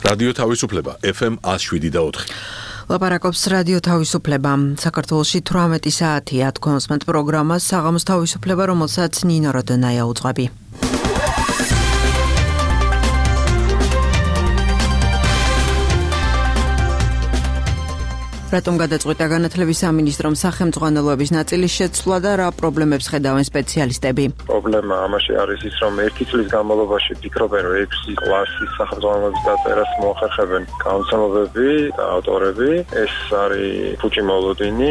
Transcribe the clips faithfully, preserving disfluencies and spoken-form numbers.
რადიო თავისუფლება ეფ ემ one oh seven და four. ლაპარაკობს რადიო თავისუფლება. საქართველოში თვრამეტი საათია თქოსმენთ პროგრამას საღამოს თავისუფლება, რომელსაც ნინო როდონაია უძღვები. რატომ გადაწყვიტა განათლების სამინისტრომ სახელმწიფოების ნაწილის შეცვლა და რა პრობლემებს ხედავენ სპეციალისტები? პრობლემა ამაში არის ის, რომ ერთი წლის განმავლობაში ფიქრობენ, რომ ექვსი კლასის სახელმწიფოების დაწერას მოახერხებენ გამოცემლობები და ავტორები. ეს არის ფუჭი მოლოდინი.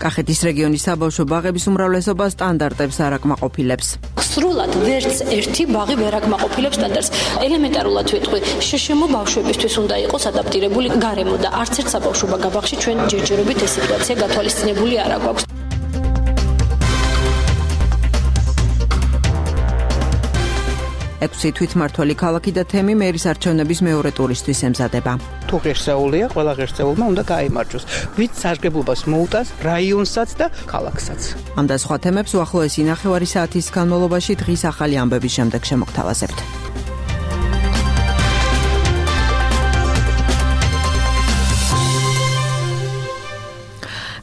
კახეთის რეგიონის საბავშვო ბაღების უმრავლესობა სტანდარტებს არ აკმაყოფილებს. სრულად ვერც ერთი ბაღი ვერ აკმაყოფილებს სტანდარტს. ელემენტარულად ვიტყვი, შეშემო ბავშვებისთვის უნდა იყოს ადაპტირებული გარემო და არც ერთ საბავშვო ბაღში ჩვენ ჯერჯერობით ეს სიტუაცია გათვალისწინებული არ აქვს. ექვსი თვითმმართველი ქალაქი და თემი მერის არჩევნების მეორე ტურისთვის ემზადება. თუ ღირსეულია, ყველა ღირსეულმა უნდა გაიმარჯვოს. ვით სარგებლობას მოუტანს რაიონსაც და ქალაქსაც. ამ და სხვა თემებს უახლოესი ნახევარი საათის განმავლობაში დღის ახალი ამბების შემდეგ შემოგთავაზებთ.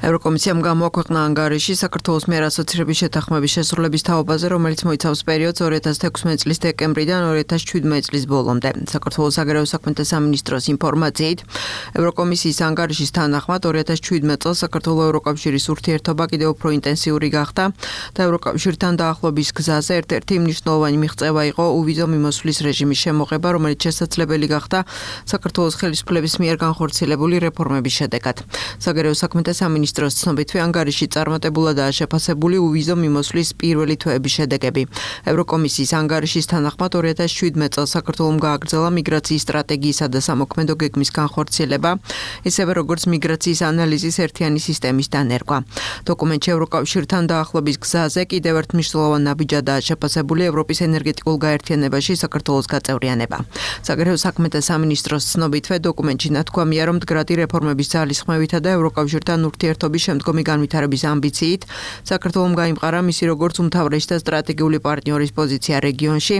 ევროკომისიამ გამოაქვეყნა ანგარიში საქართველოს მიერ ასოცირების შეთანხმების შესრულების თაობაზე, რომელიც მოიცავს პერიოდს ორი ათას თექვსმეტი წლის დეკემბრიდან ორი ათას შვიდმეტი წლის ბოლომდე. საქართველოს საგარეო საქმეთა სამინისტროს ინფორმაციით, ევროკომისიის ანგარიშის თანახმად ორი ათას შვიდმეტი წელს საქართველოს ევროკავშირის ურთიერთობა კიდევ უფრო ინტენსიური გახდა და ევროკავშირთან დაახლოების გზაზე ერთ-ერთი მნიშვნელოვანი მიღწევა იყო უვიზო მიმოსვლის რეჟიმის შემოღება, რომელიც შესაძლებელი გახდა საქართველოს ხელისუფლების მიერ განხორციელებული რეფორმების შედეგად. საგარეო საქმეთა სამინისტროს მინისტროს ცნობითვე ანგარიში წარმატებულადაა შეფასებული უვიზო მიმოსვლის პირველი თვეების შედეგები. ევროკომისიის ანგარიშის თანახმად ორი ათას შვიდმეტი წელს საქართველომ გააგრძელა მიგრაციის სტრატეგიისა და სამოქმედო გეგმის განხორციელება, ისევე როგორც მიგრაციის ანალიზის ერთიანი სისტემის დანერგვა. დოკუმენტში ევროკავშირთან დაახლოების გზაზე კიდევ ერთ მნიშვნელოვან ნაბიჯადაა შეფასებული ევროპის ენერგეტიკულ გაერთიანებაში საქართველოს გაწევრიანება. საგარეო საქმეთა სამინისტროს ცნობითვე დოკუმენტში ნათქვამია, რომ მდგრადი რეფორმების ძალისხმევითა და ევროკავშირთან ურთიერთობა შემდგომი განვითარების ამბიციით საქართველომ გაიმყარა მისი როგორც უმთავრესი და სტრატეგიული პარტნიორის პოზიცია რეგიონში,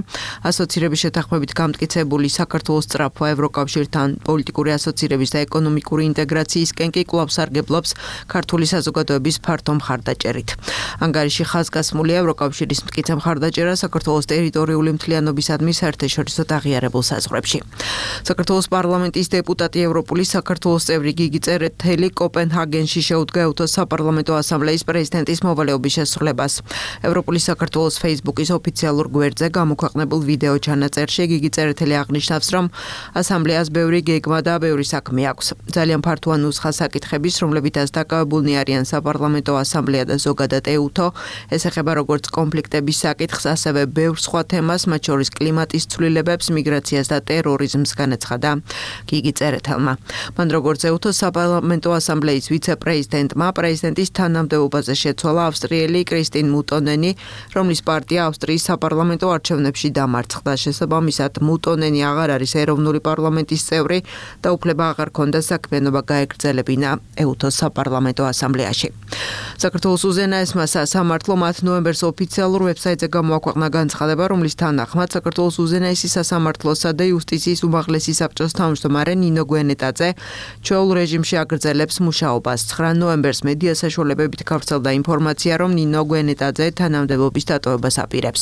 ასოცირების შეთანხმებით გამტკიცებული საქართველოს სწრაფვა ევროკავშირთან პოლიტიკური ასოცირების და ეკონომიკური ინტეგრაციისკენ კი კვლავ სარგებლობს ქართული საზოგადოების ფართო მხარდაჭერით. ანგარიში ხაზგასმულია ევროკავშირის მტკიცე მხარდაჭერა საქართველოს ტერიტორიული მთლიანობისადმი საერთაშორისო აღიარებულ საზღვრებში. საქართველოს პარლამენტის დეპუტატი ევროპული საქართველოს წევრი გიგი წერეთელი კოპენჰაგენში შეუდგა გეუთოს საპარლამენტო ასამბლეის პრეზიდენტის მოვალეობის შესრულებას. ევროპული საქართველოს Facebook-ის ოფიციალურ გვერდზე გამოქვეყნებულ ვიდეო ჩანაწერში გიგი წერეთელი აღნიშნავს, რომ ასამბლეას ბევრი გეგმა და ბევრი საქმე აქვს. ძალიან ფართოა ნუსხა საკითხების, რომლებითაც დაკავებულნი არიან საპარლამენტო ასამბლეა და ზოგადად ეუთო. ეს ეხება როგორც კონფლიქტების საკითხს, ასევე ბევრ სხვა თემას, მათ შორის კლიმატის ცვლილებებს, მიგრაციას და ტერორიზმს განაცხადა გიგი წერეთელმა. მან როგორც ეუთოს საპარლამენტო ასამბლეის ვიცე-პრეზიდენტი პრეზიდენტის თანამდებობაზე შეცვალა ავსტრიელი კრისტინ მუტონენი, რომლის პარტია ავსტრიის საპარლამენტო არჩევნებში დამარცხდა. შესაბამისად, მუტონენი აღარ არის ეროვნული პარლამენტის წევრი და უფლება აღარ ჰქონდა საქმიანობა გაეგრძელებინა ეუთოს საპარლამენტო ასამბლეაში. საქართველოს უზენაესმა სასამართლომ ათი ნოემბერს ოფიციალურ ვებსაიტზე გამოაქვეყნა განცხადება, რომლის თანახმად საქართველოს უზენაესი სასამართლოსა და იუსტიციის უმაღლესი საბჭოს თავმჯდომარე ნინო გვენეტაძე ჩვეულ რეჟიმში აგრძელებს მუშაობას. ცხრა ნოემბერს მედია საშუალებებით გავრცელდა ინფორმაცია, რომ ნინო გვენეტაძე თანამდებობის დატოვებას აპირებს.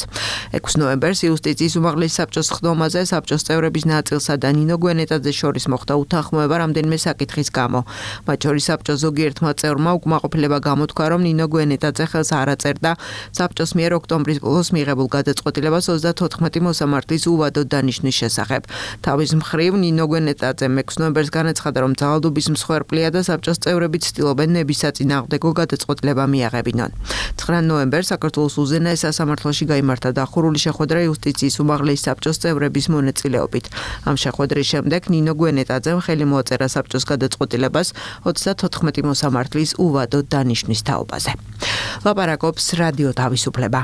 ექვსი ნოემბერს იუსტიციის უმაღლესი საბჭოს ხდომაზე საბჭოს წევრების ნაწილსა და ნინო გვენეტაძეს შორის მოხდა უთანხმოება რამდენიმე საკითხის გამო. მათ შორის საბჭოს ზოგიერთმა წევრმა უკმაყოფილება გამოთქვა, რომ ნინო გვენეტაძე ხელს არ აწერდა საბჭოს მიერ ოქტომბრის ბოლოს მიღებულ გადაწყვეტილებას ოცდათოთხმეტი მოსამართლის უვადო დანიშვნის შესახებ. თავის მხრივ ნინო გვენეტაძემ ექვსი ნოემბერს განაცხადა, რომ ძალადობის მსხვერპლია და საბჭოს წევრები ცდილობენ ნებისაწინააღმდეგო გადაწყვეტილება მიაღებინონ. ცხრა ნოემბერს საქართველოს უზენაეს სასამართლოში გაიმართა დახურული შეხვედრა იუსტიციის უმაღლესი საბჭოს წევრების მონაწილეობით. ამ შეხვედრის შემდეგ ნინო გვენეტაძემ ხელი მოაწერა საბჭოს გადაწყვეტილებას ოცდათოთხმეტი მოსამართლის უვადო დანიშვნის თაობაზე. ლაპარაკობს რადიო თავისუფლება.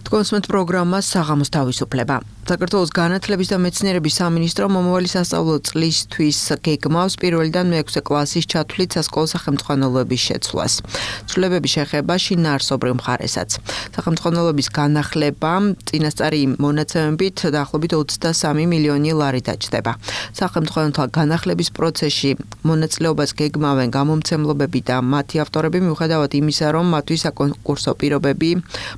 თქოსმენთ პროგრამას საღამოს თავისუფლება. საქართველოს განათლების და მეცნიერების სამინისტრო მომავალი სასწავლო წლისთვის გეგმავს პირველიდან მეექვსე კლასის ჩათვლით სასკოლო სახელმძღვანელოების შეცვლას. ცვლილებები შეეხება შინაარსობრივ მხარესაც. სახელმძღვანელოების განახლება წინასწარი მონაცემებით დაახლოებით ოცდასამი მილიონი ლარი დაჯდება. სახელმძღვანელოთა განახლების პროცესში მონაწილეობას გეგმავენ გამომცემლობები და მათი ავტორები მიუხედავად იმისა, რომ მათთვის საკონკურსო პირობები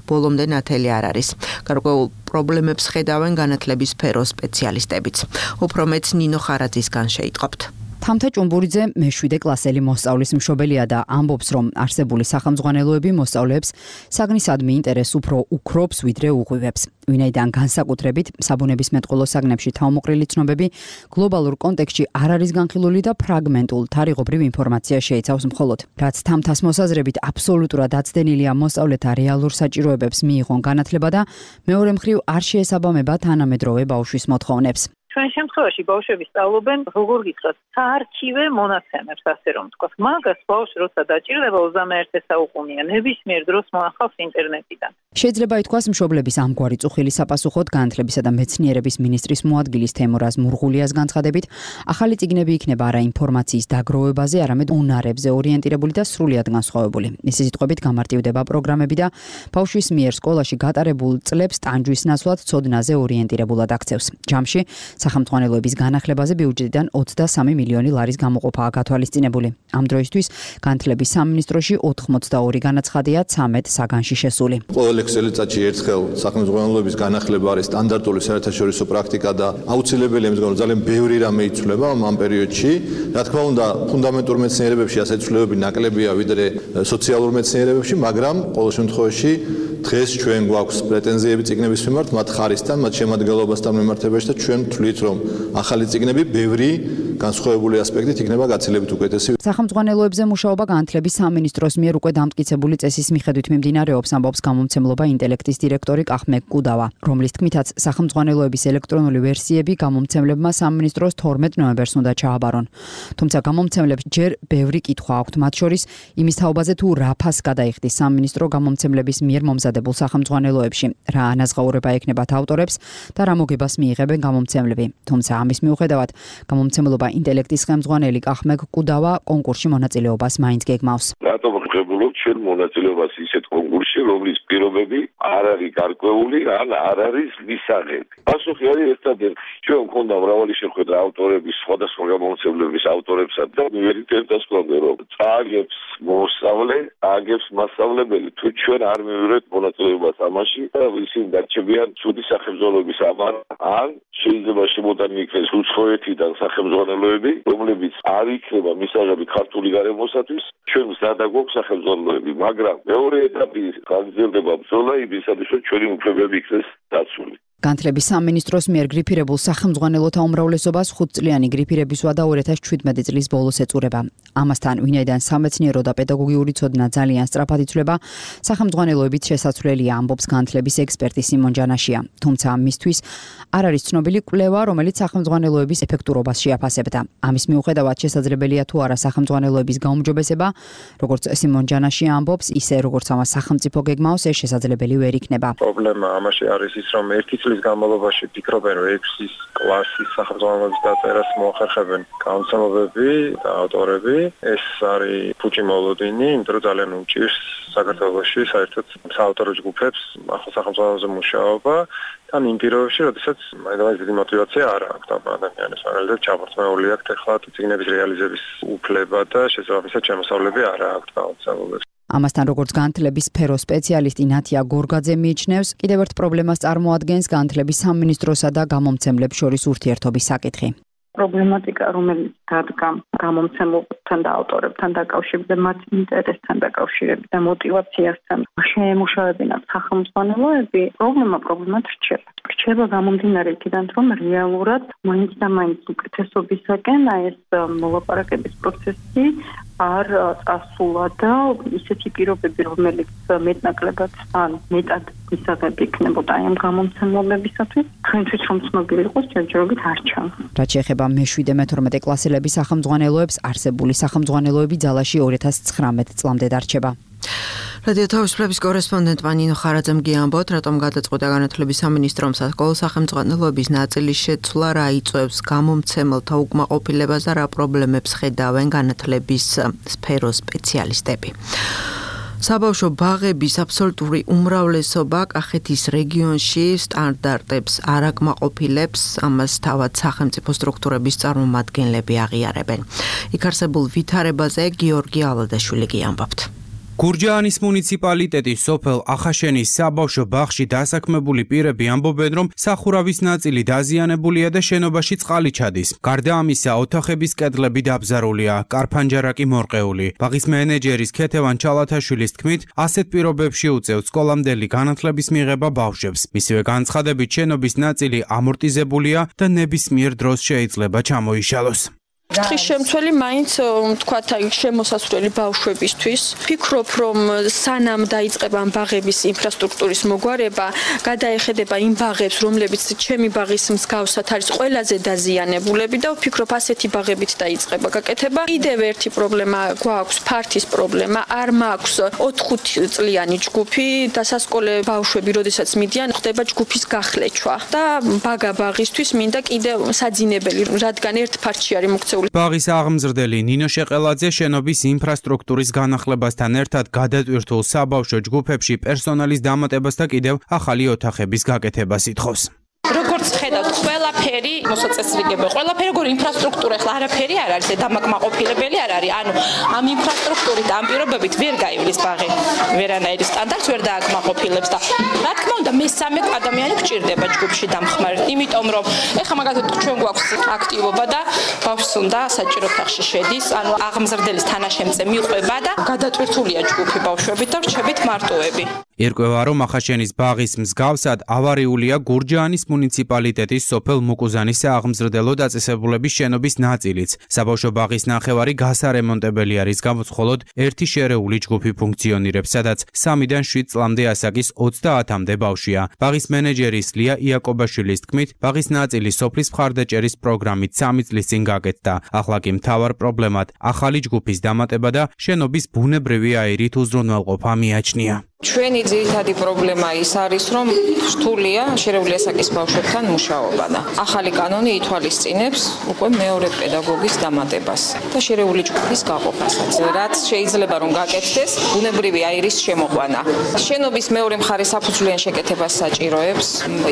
ბოლომდე ნათელი არ არის. გარკვეულ პრობლემებს ხედავენ განათლების სფეროს სპეციალისტებიც. უფრო მეც ნინო ხარაძისგან შეიტყობთ. თამთა ჭუმბურიძე მეშვიდე კლასელი მოსწავლის მშობელია და ამბობს, რომ არსებული სახელმძღვანელოები მოსწავლეებს საგნისადმი ინტერესს უფრო უქრობს, ვიდრე უღვივებს. ვინაიდან განსაკუთრებით საბუნებისმეტყველო საგნებში თავმოყრილი ცნობები გლობალურ კონტექსტში არ არის განხილული და ფრაგმენტულ თარიღობრივ ინფორმაცია შეიცავს მხოლოდ. რაც თამთას მოსაზრებით აბსოლუტურად აცდენილია მოსწავლეთა რეალურ საჭიროებებს მიიღონ განათლება და მეორე მხრივ არ შეესაბამება თანამედროვე ბავშვის მოთხოვნებს. ჩვენ შემთხვევაში ბავშვები სწავლობენ, როგორ გითხრათ, საარქივე მონაცემებს, ასე რომ ვთქვათ. მაგას ბავშვი როცა დაჭირდება ოცდამეერთე საუკუნეა, ნებისმიერ დროს მოახავს ინტერნეტიდან. შეიძლება ითქვას, მშობლების ამგვარი წუხილი საპასუხოდ განათლებისა და მეცნიერების მინისტრის მოადგილის თემურაზ მურღულიას განცხადებით, ახალი წიგნები იქნება არა ინფორმაციის დაგროვებაზე, არამედ უნარებზე ორიენტირებული და სრულიად განსხვავებული. მისი სიტყვებით გამარტივდება პროგრამები და ბავშვის მიერ სკოლაში გატარებულ წლებს ტანჯვის ნაცვლად ცოდნაზე ორიენტირებულად აქცევს. ჯამში სახელმძღვანელოების განახლებაზე ბიუჯეტიდან ოცდასამი მილიონი ლარის გამოყოფაა გათვალისწინებული. ამ დროისთვის განათლების სამინისტროში ოთხმოცდაორი განაცხადია ცამეტ საგანში შესული. ყოველ ექვს წელიწადში ერთხელ სახელმძღვანელოების განახლება არის სტანდარტული საერთაშორისო პრაქტიკა და აუცილებელი იმის გამო ძალიან ბევრი რამე იცვლება ამ პერიოდში. რა თქმა უნდა, ფუნდამენტურ მეცნიერებებში ასეთი ცვლილებები ნაკლებია ვიდრე სოციალურ მეცნიერებებში, მაგრამ ყოველ შემთხვევაში დღეს ჩვენ გვაქვს პრეტენზიები წიგნების მიმართ, მათ ხარისთან, მათ შემადგენლობასთან მიმართებაში და ჩვენ ვთვლით, რომ ახალი წიგნები ბევრი განსხვავებული ასპექტით იქნება გაცილებით უკეთესი. სახელმძღვანელოებზე მუშაობა განათლების სამინისტროს მიერ უკვე დამტკიცებული წესის მიხედვით მიმდინარეობს, ამბობს გამომცემლობა ინტელექტის დირექტორი კახმე კუდავა, რომლის თქმითაც სახელმძღვანელოების ელექტრონული ვერსიები გამომცემლებმა სამინისტროს თორმეტ ნოემბერს უნდა ჩააბარონ. თუმცა გამომცემლებს ჯერ ბევრი კითხვა აქვთ, მათ შორის იმის თაობაზე თუ რა ფასს გადაიხდის სამინისტრო გამომცემლების მიერ მომზადებულ სახელმძღვანელოებში, რა ანაზღაურება ექნებათ ავტორებს და რა მოგებას მიიღებენ გამომცემლები. თუმცა ამის მიუხედავად გამომცემლობა ინტელექტის ხელმძღვანელი კახმე კუდავა კონკურსში მონაწილეობას მაინც გეგმავს. რატომ ვღებულობ ჩვენ მონაწილეობას ისეთ კონკურსში, რომლის პირობები არ არის გარკვეული, ან არ არის მისაღები. პასუხი არის ერთადერთი. ჩვენ გვქონდა მრავალი შეხვედრა ავტორების, სხვადასხვა გამომცემლების ავტორებსა და მივერიტებდას გვქონდა, რომ წააგებს მოსწავლე, აგებს მასწავლებელი, თუ ჩვენ არ მივიღებთ მონაწილეობას ამაში და ისინი დარჩებიან ცუდი სახელმძღვანელოების ამან, ან შეიძლება შემოდანი იქნეს უცხოეთიდან სახელმძღვანელოები, რომლებიც არ იქნება მისაღები ქართული გარემოსათვის, ჩვენ მზადა გვაქვს სახელმძღვანელოები, მაგრამ მეორე ეტაპი გაგრძელდება ბრძოლა იმისათვის, რომ ჩვენი უფლებები იქნეს დაცული. განათლების სამინისტროს მიერ გრიფირებულ სახელმძღვანელოთა უმრავლესობას ხუთწლიანი გრიფირების ვადა ორი ათას შვიდმეტი წლის ბოლოს ეწურება. ამასთან, ვინაიდან სამეცნიერო და პედაგოგიური ცოდნა ძალიან სწრაფად იცვლება, სახელმძღვანელოებით შესაძლებელია, ამბობს განათლების ექსპერტი სიმონ ჯანაშია. თუმცა მისთვის არ არის ცნობილი კვლევა, რომელიც სახელმძღვანელოების ეფექტურობას შეაფასებდა. ამის მიუხედავად შესაძლებელია თუ არა სახელმძღვანელოების გაუმჯობესება, როგორც სიმონ ჯანაშია ამბობს, ისე როგორც ამას სახელმწიფო გეგმავს, ეს შესაძლებელი ვერ იქნება. პრობლემა ამაში არის ის, რომ ერთი წლის განმავლობაში ფიქრობენ, რომ ექვსი კლასის სახელმძღვანელოების დაწერას მოახერხებენ გამომცემლობები და ავტორები. ეს არის ფუჭი მოლოდინი, იმიტომ რომ ძალიან უჭირს საქართველოში საერთოდ საავტორო ჯგუფებს ახალ სახელმძღვანელოზე მუშაობა. თან იმ პირობებში, როდესაც მაინც დიდი мотиваცია არ აქვს ამ ადამიანებს, მაგალითად ჩამორთმეული აქვს ახლა წიგნების რეალიზების უფლება და შესაბამისად შემოსავლები არ აქვს გამომცემლობებს. ამასთან, როგორც განათლების სფეროს სპეციალისტი ნათია გორგაძე მიიჩნევს, კიდევ ერთ პრობლემას წარმოადგენს განათლების სამინისტროსა და გამომცემლებს შორის ურთიერთობის საკითხი. პრობლემატიკა, რომელიც დადგა გამომცემლებთან და ავტორებთან დაკავშირებით და მათ ინტერესთან დაკავშირებით და мотиваციასთან შეემუშავებინათ სახელმძღვანელოები, პრობლემა პრობლემად რჩება. რჩება გამომდინარე იქიდან, რომ რეალურად მაინც და მაინც უკეთესობისაკენ აი ეს მოლაპარაკების პროცესი არ წასულა და ისეთი პირობები, რომელიც მეტნაკლებად ან მეტად მისაღები იქნებოდა აი ამ გამომცემლებისათვის, ჩვენთვის რომ ცნობილი იყოს, ჯერჯერობით არ ჩანს. რაც შეეხება მეშვიდე მეთორმეტე კლასელების სახელმძღვანელოებს, არსებული სახელმძღვანელოები ძალაში ორი ათას ცხრამეტ წლამდე დარჩება. რადიო თავისუფლების კორესპონდენტმა ნინო ხარაძემ გიამბოთ, რატომ გადაწყვიტა განათლების სამინისტრომ სასკოლო სახელმძღვანელოების ნაწილის შეცვლა, რა იწვევს გამომცემელთა უკმაყოფილებას და რა პრობლემებს ხედავენ განათლების სფეროს სპეციალისტები. საბავშვო ბაღების აბსოლუტური უმრავლესობა კახეთის რეგიონში სტანდარტებს არ აკმაყოფილებს, ამას თავად სახელმწიფო სტრუქტურების წარმომადგენლები აღიარებენ. იქ არსებულ ვითარებაზე გიორგი ალადაშვილი გიამბობთ. გურჯაანის მუნიციპალიტეტის სოფელ ახაშენის საბავშვო ბაღში დასაქმებული პირები ამბობენ, რომ სახურავის ნაწილი დაზიანებულია და შენობაში წყალი ჩადის. გარდა ამისა, ოთახების კედლები დაბზარულია, კარფანჯარა კი მორყეული. ბაღის მენეჯერის ქეთევან ჩალათაშვილის თქმით, ასეთ პირობებში უწევს სკოლამდელი განათლების მიღება ბავშვებს. მისივე განცხადებით, შენობის ნაწილი ამორტიზებულია და ნებისმიერ დროს შეიძლება ჩამოიშალოს. თხის შემცველი მაინც თქვათ აი შემოსასვლელი ბავშვებისთვის. ფიქრობ, რომ სანამ დაიწყება ამ ბაღების ინფრასტრუქტურის მოგვარება, გადაეხედება იმ ბაღებს, რომლებიც ჩემი ბაღის მსგავსად არის ყველაზე დაზიანებულები და ვფიქრობ, ასეთი ბაღებით დაიწყება გაკეთება. კიდევ ერთი პრობლემა გვაქვს, ფართის პრობლემა. არ მაქვს ოთხ-ხუთი წლიანი ჯგუფი და სასკოლე ბავშვები, როდესაც მიდიან, ხდება ჯგუფის გახლეჩვა და ბაგა ბაღისთვის მინდა კიდევ საძინებელი, რადგან ერთ ფართში არის მოქცეული. ბაღის აღმზრდელი ნინო შეყელაძე შენობის ინფრასტრუქტურის განახლებასთან ერთად გადატვირთულ საბავშვო ჯგუფებში პერსონალის დამატებას და კიდევ ახალი ოთახების გაკეთებას ითხოვს. როგორც ხედავთ, ყველაფერი მოსაწესრიგებელი, ყველაფერი როგორ ინფრასტრუქტურა ახლა არაფერი არ არის, დამაკმაყოფილებელი არ არის. ანუ ამ ინფრასტრუქტურით, ამ პირობებით ვერ გაივლის ბაღი. ვერანაირი სტანდარტს ვერ დააკმაყოფილებს და რა თქმა უნდა, მესამე ადამიანი გჭირდება ჯგუფში დამხმარებით, იმიტომ რომ ეხლა მაგალითად ჩვენ გვაქვს აქტივობა და ბავშვს უნდა საჭირო ოთახში შედის, ანუ აღმზრდელის თანაშემწე მიყვება და გადატვირთულია ჯგუფი ბავშვებით და რჩებით მარტოები. ერკვევა, რომ ახაშენის ბაღის მსგავსად ავარიულია გურჯაანის მუნიციპალიტეტის სოფელ მუკუზანის სააღმზრდელო დაწესებულების შენობის ნაწილიც. საბავშვო ბაღის ნახევარი გასარემონტებელი არის, გამოც მხოლოდ ერთი შერეული ჯგუფი ფუნქციონირებს, სადაც სამიდან შვიდ წლამდე ასაკის ოცდაათამდე ბავშვია. ბაღის მენეჯერის ლია იაკობაშვილის თქმით, ბაღის ნაწილი სოფლის მხარდაჭერის პროგრამით სამი წლის წინ გაკეთდა. ახლა კი მთავარ პრობლემად ახალი ჯგუფის დამატება და შენობის ბუნებრივი აირით უზრუნველყოფა მიაჩნია. ჩვენი ძირითადი პრობლემა ის არის, რომ რთულია შერეული ასაკის ბავშვებთან მუშაობა და ახალი კანონი ითვალისწინებს უკვე მეორე პედაგოგის დამატებას და შერეული ჯგუფის გაყოფასაც. რაც შეიძლება რომ გაკეთდეს, ბუნებრივი აირის შემოყვანა. შენობის მეორე მხარე საფუძვლიან შეკეთებას საჭიროებს.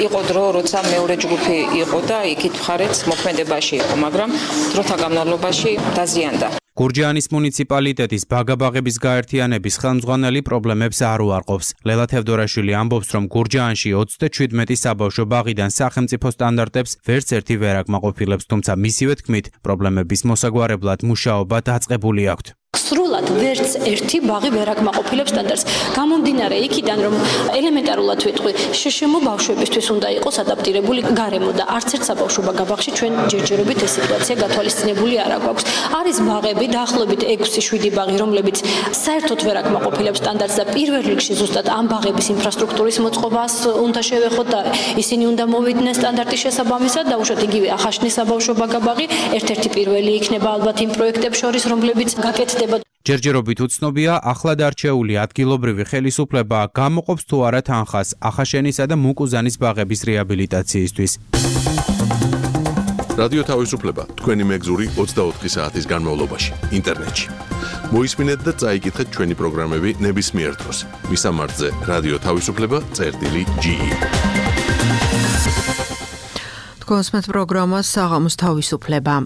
იყო დრო, როცა მეორე ჯგუფი იყო და იქით მხარეც მოქმედებაში იყო, მაგრამ დროთა განმავლობაში დაზიანდა. გურჯაანის მუნიციპალიტეტის ბაგაბაღების გაერთიანების ხელმძღვანელი პრობლემებს არ უარყოფს. ლელა თევდორაშვილი ამბობს, რომ გურჯაანში ოცდაჩვიდმეტი საბავშვო ბაღიდან სახელმწიფო სტანდარტებს ვერც ერთი ვერ აკმაყოფილებს, თუმცა მისივე თქმით, პრობლემების მოსაგვარებლად მუშაობა დაწყებული აქვთ. სრულად ვერც ერთი ბაღი ვერ აკმაყოფილებს სტანდარტს. გამომდინარე იქიდან, რომ ელემენტარულად ვიტყვი, შეშემო ბავშვებისთვის უნდა იყოს ადაპტირებული გარემო და არც ერთ საბავშვო ბაღში ჩვენ ჯერჯერობით ეს სიტუაცია გათვალისწინებული არ აქვს. არის ბაღები, დაახლოებით ექვსი შვიდი ბაღი, რომლებიც საერთოდ ვერ აკმაყოფილებს სტანდარტს და პირველ რიგში ზუსტად ამ ბაღების ინფრასტრუქტურის მოწყობას უნდა შევეხოთ და ისინი უნდა მოვიდნენ სტანდარტის შესაბამისად და უშუალოდ იგივე ახაშნის საბავშვო ბაღი ერთ-ერთი პირველი იქნება ალბათ იმ პროექტებს შორის, რომლებიც გაკეთდება. ჯერჯერობით უცნობია, ახლად არჩეული ადგილობრივი ხელისუფლება გამოყოფს თუ არა თანხას ახაშენისა და მუკუზანის ბაღების რეაბილიტაციისთვის. რადიო თავისუფლება თქვენი მეგზური ოცდაოთხი საათის განმავლობაში ინტერნეტში. მოისმინეთ და წაიკითხეთ ჩვენი პროგრამები ნებისმიერ დროს. მისამართზე რადიო თავისუფლება წერტილი ჯი ი. თქვენს პროგრამას საღამოს თავისუფლება.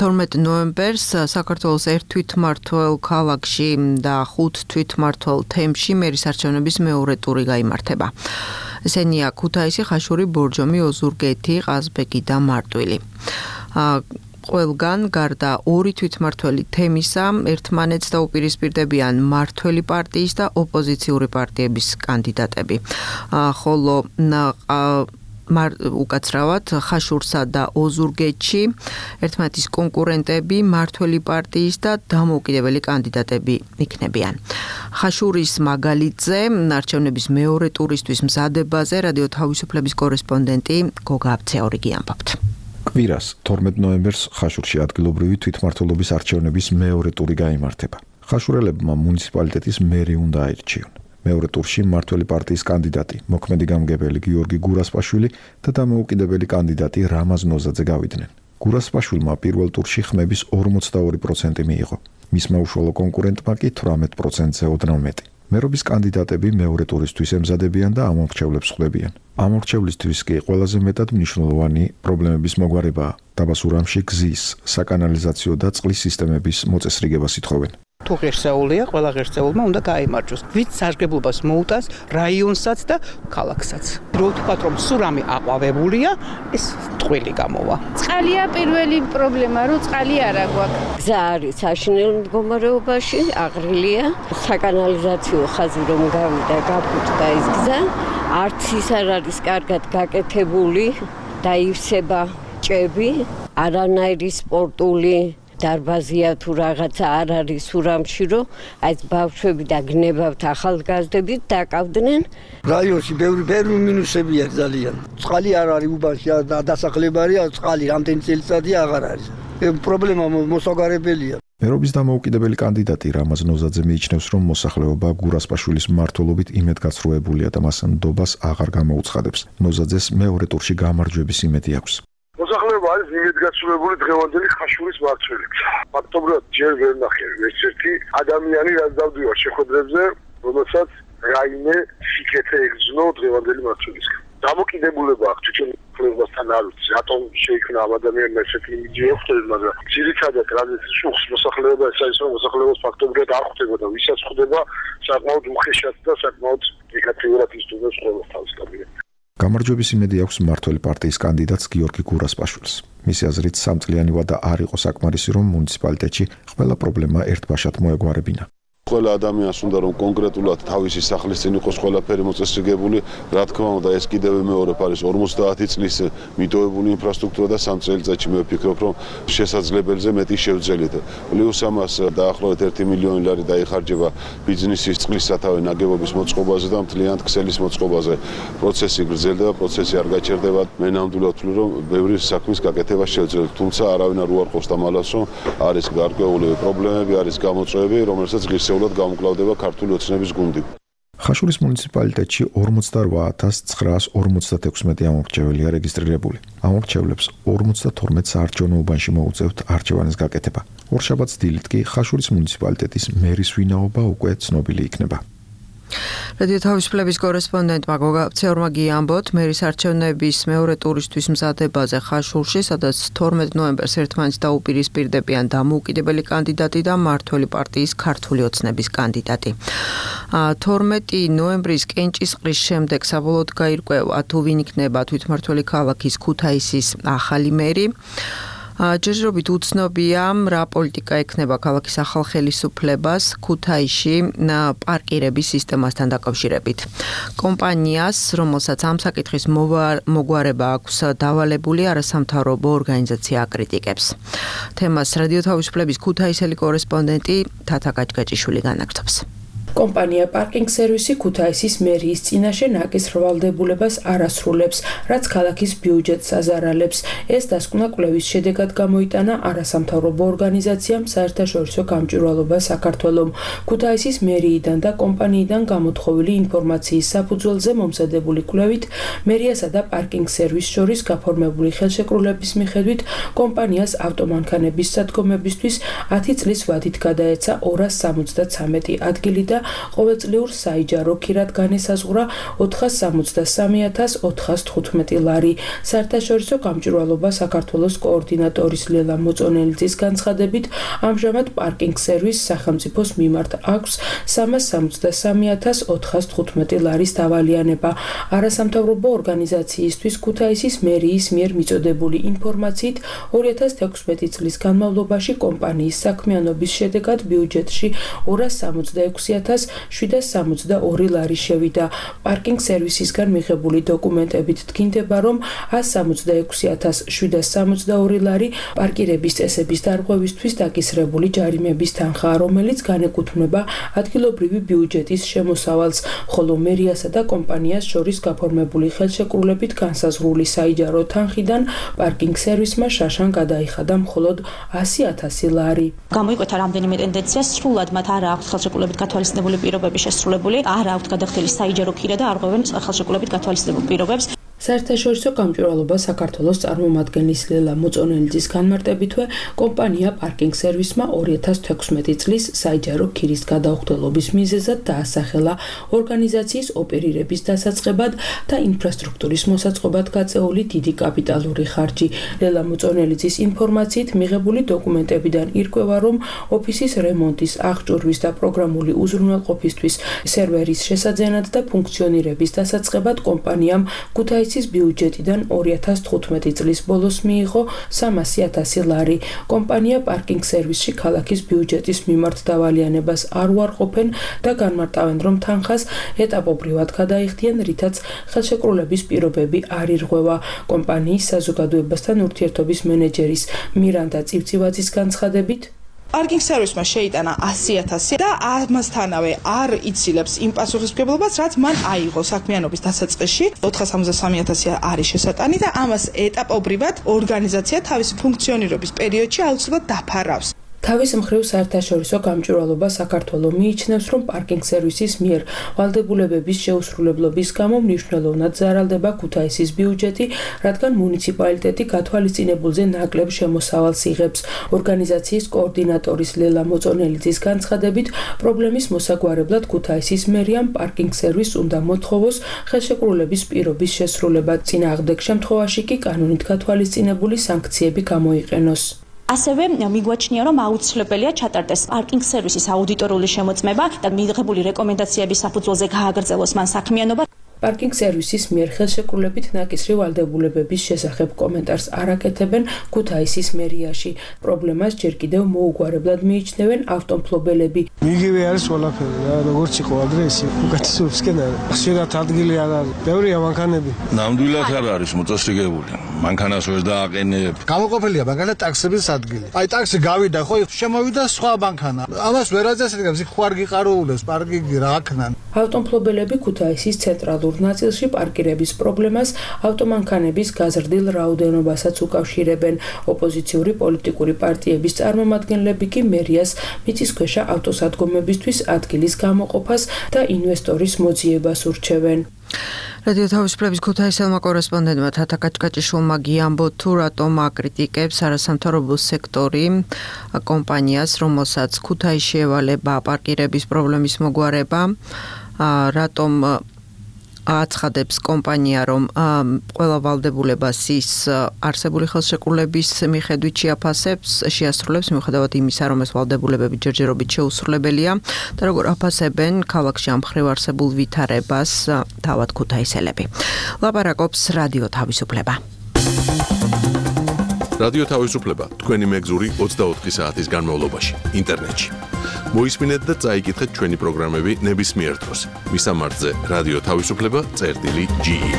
თორმეტ ნოემბერს საქართველოს ერთ თვითმმართველ ქალაქში და ხუთ თვითმმართველ თემში მერის არჩევნების მეორე ტური გაიმართება. ესენია ქუთაისი, ხაშური, ბორჯომი, ოზურგეთი, ყაზბეგი და მარტვილი. ყველგან გარდა ორი თვითმმართველი თემისა ერთმანეთს დაუპირისპირდებიან მმართველი პარტიის და ოპოზიციური პარტიების კანდიდატები. ხოლო უკაცრავად ხაშურსა და ოზურგეთში ერთმანეთის კონკურენტები მმართველი პარტიის და დამოუკიდებელი კანდიდატები იქნებიან. ხაშურის მაგალითზე არჩევნების მეორე ტურისთვის მზადებაზე რადიო თავისუფლების კორესპონდენტი გოგა აბცეორიგი ამბობთ. კვირას თორმეტ ნოემბერს ხაშურში ადგილობრივი თვითმმართველობის არჩევნების მეორე ტური გაიმართება. ხაშურელებმა მუნიციპალიტეტის მერი უნდა აირჩიონ. მეორე ტურში მმართველი პარტიის კანდიდატი, მოქმედი გამგებელი გიორგი გურასპაშვილი და დამოუკიდებელი კანდიდატი რამაზ ნოზაძე გავიდნენ. გურასპაშვილმა პირველ ტურში ხმების ორმოცდაორი პროცენტი მიიღო. მისმა უშუალო კონკურენტმა კი თვრამეტ პროცენტზე ოდნავ მეტი. მერობის კანდიდატები მეორე ტურისთვის ემზადებიან და ამორჩევლებს ხვდებიან. ამორჩევლისთვის კი ყველაზე მეტად მნიშვნელოვანი პრობლემების მოგვარებაა. დაბასურამში გზის, საკანალიზაციო და წყლის სისტემების მოწესრიგებას ითხოვენ. თუ ღირსეულია, ყველა ღირსეულმა უნდა გაიმარჯვოს. ვით სარგებლობას მოუტანს რაიონსაც და ქალაქსაც. რო ვთქვათ, რომ სურამი აყვავებულია, ეს ტყვილი გამოვა. წყალია პირველი პრობლემა, რომ წყალი არა გვაქვს. გზა არის საშინელ მდგომარეობაში, აღრილია. საკანალიზაციო ხაზი რომ გავიდა, გაფუჭდა ეს გზა, არც ის არ არის კარგად გაკეთებული და ივსება ჭები, არანაირი სპორტული დარბაზია თუ რაღაცა არ არის სურამში, რომ აი ბავშვები და გნებავთ ახალგაზრდებით დაკავდნენ. რაიონში ბევრი ბევრი მინუსებია ძალიან. წყალი არ არის უბანში, დასახლებარია წყალი რამდენი წელიწადია აღარ არის. პრობლემა მოსაგარებელია. მერობის დამოუკიდებელი კანდიდატი რამაზ ნოზაძე მიიჩნევს, რომ მოსახლეობა გურასპაშვილის მმართველობით იმედგაცრუებულია და მას ნდობას აღარ გამოუცხადებს. ნოზაძეს მეორე ტურში გამარჯვების იმედი აქვს. მოსახლეობა არის იმედგაცრუებული დღევანდელი ხაშურის მმართველით. ფაქტობრივად ჯერ ვერ ნახე ერთ-ერთი ადამიანი, რაც დავდივარ შეხვედრებზე, რომელსაც რაიმე სიკეთე ეგზნო დღევანდელი მმართველისგან. დამოკიდებულება აქვს თვითონ მოსახლეობასთან არ ვიცი, რატომ შეიქმნა ამ ადამიანმა ესეთი იმიჯი ეხვდები, მაგრამ ძირითადად რადგან შუხს მოსახლეობა ეს არის, რომ მოსახლეობას ფაქტობრივად არ ხვდება და ვისაც ხვდება, საკმაოდ უხეშად და საკმაოდ ნეგატიურად ისტუმრებს ყველას თავის კაბინეტს. გამარჯვების იმედი აქვს მმართველი პარტიის კანდიდატს გიორგი გურასპაშვილს. მისი აზრით, სამწლიანი ვადა არ იყო საკმარისი, რომ მუნიციპალიტეტში ყველა პრობლემა ერთბაშად მოეგვარებინა. ყველა ადამიანს უნდა რომ კონკრეტულად თავისი სახლის წინ იყოს ყველაფერი მოწესრიგებული, რა თქმა უნდა, ეს კიდევ მეორე არის ორმოცდაათი წლის მიტოვებული ინფრასტრუქტურა და სამ წელიწადში მე ვფიქრობ, რომ შესაძლებელზე მეტი შევძელით. პლუს ამას დაახლოებით ერთი მილიონი ლარი დაიხარჯება ბიზნესის წყლის სათავე ნაგებობის მოწყობაზე და მთლიანად ქსელის მოწყობაზე. პროცესი გრძელდება, პროცესი არ გაჩერდება. მე ნამდვილად ვთვლი, რომ ბევრი საქმის გაკეთება შევძელით, თუმცა არავინ არ უარყოფს და მალას, რომ არის გარკვეული პრობლემები, არის გამოწვევები, რომელსაც ღირსეულად გამკლავდება ქართული ოცნების გუნდი. ხაშურის მუნიციპალიტეტში ორმოცდარვა ათას ცხრაას ორმოცდათექვსმეტი ამორჩეველია რეგისტრირებული. ამორჩევლებს ორმოცდათორმეტ საარჩევნო უბანში მოუწევთ არჩევანის გაკეთება. ორშაბათს დილით კი ხაშურის მუნიციპალიტეტის მერის ვინაობა უკვე ცნობილი იქნება. რადიო თავისუფლების კორესპონდენტმა გოგა ცეორმა გიამბოთ, მერის არჩევნების მეორე ტურისთვის მზადებაზე ხაშურში, სადაც თორმეტ ნოემბერს ერთმანეთს დაუპირისპირდებიან დამოუკიდებელი კანდიდატი და მმართველი პარტიის ქართული ოცნების კანდიდატი. თორმეტი ნოემბრის კენჭისყრის შემდეგ საბოლოოდ გაირკვევა, თუ ვინ იქნება თვითმმართველი ქალაქის ქუთაისის ახალი მერი. ჯერჯერობით უცნობია, რა პოლიტიკა ექნება ქალაქის ახალ ხელისუფლებას ქუთაისში პარკირების სისტემასთან დაკავშირებით. კომპანიას, რომელსაც ამ საკითხის მოგვარება აქვს დავალებული, არასამთავრობო ორგანიზაცია აკრიტიკებს. თემას რადიო თავისუფლების ქუთაისელი კორესპონდენტი თათა გაჭგაჭიშვილი განაგრძობს. კომპანია პარკინგ სერვისი ქუთაისის მერიის წინაშე ნაკის რვალდებულებას არ ასრულებს, რაც ქალაქის ბიუჯეტს აზარალებს. ეს დასკვნა კვლევის შედეგად გამოიტანა არასამთავრობო ორგანიზაციამ საერთაშორისო გამჭვირვალობა საქართველომ. ქუთაისის მერიიდან და კომპანიიდან გამოთხოვილი ინფორმაციის საფუძველზე მომზადებული კვლევით, მერიასა და პარკინგ სერვისს შორის გაფორმებული ხელშეკრულების მიხედვით, კომპანიას ავტომანქანების სადგომებისთვის ათი წლის ვადით გადაეცა ორას სამოცდათვრამეტი ადგილი და ყოველწლიურ საიჯარო ქირად განესაზღვრა ოთხას სამოცდასამი ათას ოთხას თხუთმეტი ლარი. საერთაშორისო გამჭვირვალობა საქართველოს კოორდინატორის ლელა მოწონელიძის განცხადებით, ამჟამად პარკინგ სერვისს სახელმწიფოს მიმართ აქვს სამას სამოცდასამი ათას ოთხას თხუთმეტი ლარის დავალიანება. არასამთავრობო ორგანიზაციისთვის ქუთაისის მერიის მიერ მიწოდებული ინფორმაციით, ორი ათას თექვსმეტი წლის განმავლობაში კომპანიის საქმიანობის შედეგად ბიუჯეტში ორას სამოცდაექვსი ათას ათას შვიდას სამოცდაორი ლარი შევიდა. პარკინგ სერვისისგან მიღებული დოკუმენტებით დგინდება, რომ ას სამოცდაექვსი ათას შვიდას სამოცდაორი ლარი პარკირების წესების დარღვევისთვის დაკისრებული ჯარიმების თანხაა, რომელიც განეკუთვნება ადგილობრივი ბიუჯეტის შემოსავალს, ხოლო მერიასა და კომპანიას შორის გაფორმებული ხელშეკრულებით განსაზღვრული საიჯარო თანხიდან პარკინგ სერვისმა შაშან გადაიხადა მხოლოდ ასი ათასი ლარი. გამოიკვეთა რამდენიმე ტენდენცია, სრულად მათ არ აქვს ხელშეკრულებით გათვალისწინებული პირობები შესრულებული, არ აქვს გადახდილი საიჯარო ქირა და არღვევენ ხელშეკრულებით გათვალისწინებულ პირობებს. საერთაშორისო გამჭვირვალობა საქართველოს წარმომადგენლის ლელა მოწონელიძის განმარტებითვე, კომპანია პარკინგ სერვისმა ორი ათას თექვსმეტი წლის საიჯარო ქირის გადაუხდელობის მიზეზად დაასახელა ორგანიზაციის ოპერირების დასაწყებად და ინფრასტრუქტურის მოსაწყობად გაწეული დიდი კაპიტალური ხარჯი. ლელა მოწონელიძის ინფორმაციით მიღებული დოკუმენტებიდან ირკვევა, რომ ოფისის რემონტის, აღჭურვის და პროგრამული უზრუნველყოფისთვის სერვერის შესაძენად და ფუნქციონირების დასაწყებად კომპანიამ ქუთაისის ბიუჯეტიდან ორი ათას თხუთმეტი წლის ბოლოს მიიღო სამასი ათასი ლარი. კომპანია პარკინგ სერვისში ქალაქის ბიუჯეტის მიმართ დავალიანებას არ უარყოფენ და განმარტავენ, რომ თანხას ეტაპობრივად გადაიხდიან, რითაც ხელშეკრულების პირობები არ ირღვევა. კომპანიის საზოგადოებასთან ურთიერთობის მენეჯერის მირანდა წივწივაძის განცხადებით, პარკინგ სერვისმა შეიტანა ასი ათასი და ამასთანავე არ იცილებს იმ პასუხისმგებლობას, რაც მან აიღო საქმიანობის დასაწყისში. ოთხასამოცდასამი ათასი არის შესატანი და ამას ეტაპობრივად ორგანიზაცია თავისი ფუნქციონირების პერიოდში აუცილებლად დაფარავს. თავის მხრივ საერთაშორისო გამჭვირვალობა საქართველოს მიიჩნევს, რომ პარკინგ სერვისის მიერ ვალდებულებების შეუსრულებლობის გამო მნიშვნელოვნად ზარალდება ქუთაისის ბიუჯეტი, რადგან მუნიციპალიტეტი გათვალისწინებულზე ნაკლებ შემოსავალს იღებს. ორგანიზაციის კოორდინატორის ლელა მოწონელიძის განცხადებით, პრობლემის მოსაგვარებლად ქუთაისის მერიამ პარკინგ სერვისს უნდა მოთხოვოს ხელშეკრულების პირობის შესრულება. წინააღმდეგ შემთხვევაში კი კანონით გათვალისწინებული სანქციები გამოიყენოს. ასევე მიგვაჩნია, რომ აუცილებელია ჩატარდეს პარკინგ სერვისის აუდიტორული შემოწმება და მიღებული რეკომენდაციების საფუძველზე გააგრძელოს მან საქმიანობა. პარკინგ სერვისის მიერ ხელშეკრულებით ნაკისრი ვალდებულებების შესახებ კომენტარს არ აკეთებენ ქუთაისის მერიაში. პრობლემას ჯერ კიდევ მოუგვარებლად მიიჩნევენ ავტომფლობელები. იგივე არის ყველაფერი რა, როგორც იყო ადრე ისე უკეთესობისკენ არის. ხშირად ადგილი არ არის. ბევრია მანქანები. ნამდვილად არ არის მოწესრიგებული. მანქანას ვერ დააყენებ. გამოყოფილია მანქანა ტაქსების ადგილი. აი ტაქსი გავიდა ხო, შემოვიდა სხვა მანქანა. ამას ვერ აწესრიგებს, იქ ხوار გიყარულებს პარკინგი რა აქნან. ავტომფლობელები ქუთაისის ცენტრალურ ნაწილში პარკირების პრობლემას ავტომანქანების გაზრდილ რაოდენობასაც უკავშირებენ. ოპოზიციური პოლიტიკური პარტიების წარმომადგენლები კი მერიას მიწისქვეშა ავტოსადგომებისთვის ადგილის გამოყოფას და ინვესტორის მოძიებას ურჩევენ. რადიო თავისუფლების ქუთაისელმა კორესპონდენტმა თათა კაჭკაჭიშვილმა გიამბო თუ რატომ აკრიტიკებს არასამთავრობო სექტორი კომპანიას, რომელსაც ქუთაისში ევალება პარკირების პრობლემის მოგვარება, რატომ აცხადებს კომპანია, რომ ყველა ვალდებულებას ის არსებული ხელშეკრულების მიხედვით შეაფასებს, შეასრულებს, მიუხედავად იმისა, რომ ეს ვალდებულებები ჯერჯერობით შეუსრულებელია და როგორ აფასებენ ქალაქში ამ მხრივ არსებულ ვითარებას თავად ქუთაისელები. ლაპარაკობს რადიო თავისუფლება. რადიო თავისუფლება თქვენი მეგზური ოცდაოთხი საათის განმავლობაში ინტერნეტში. მოისმინეთ და წაიკითხეთ ჩვენი პროგრამები ნებისმიერ დროს. მისამართზე რადიო თავისუფლება წერტილი ჯი ი.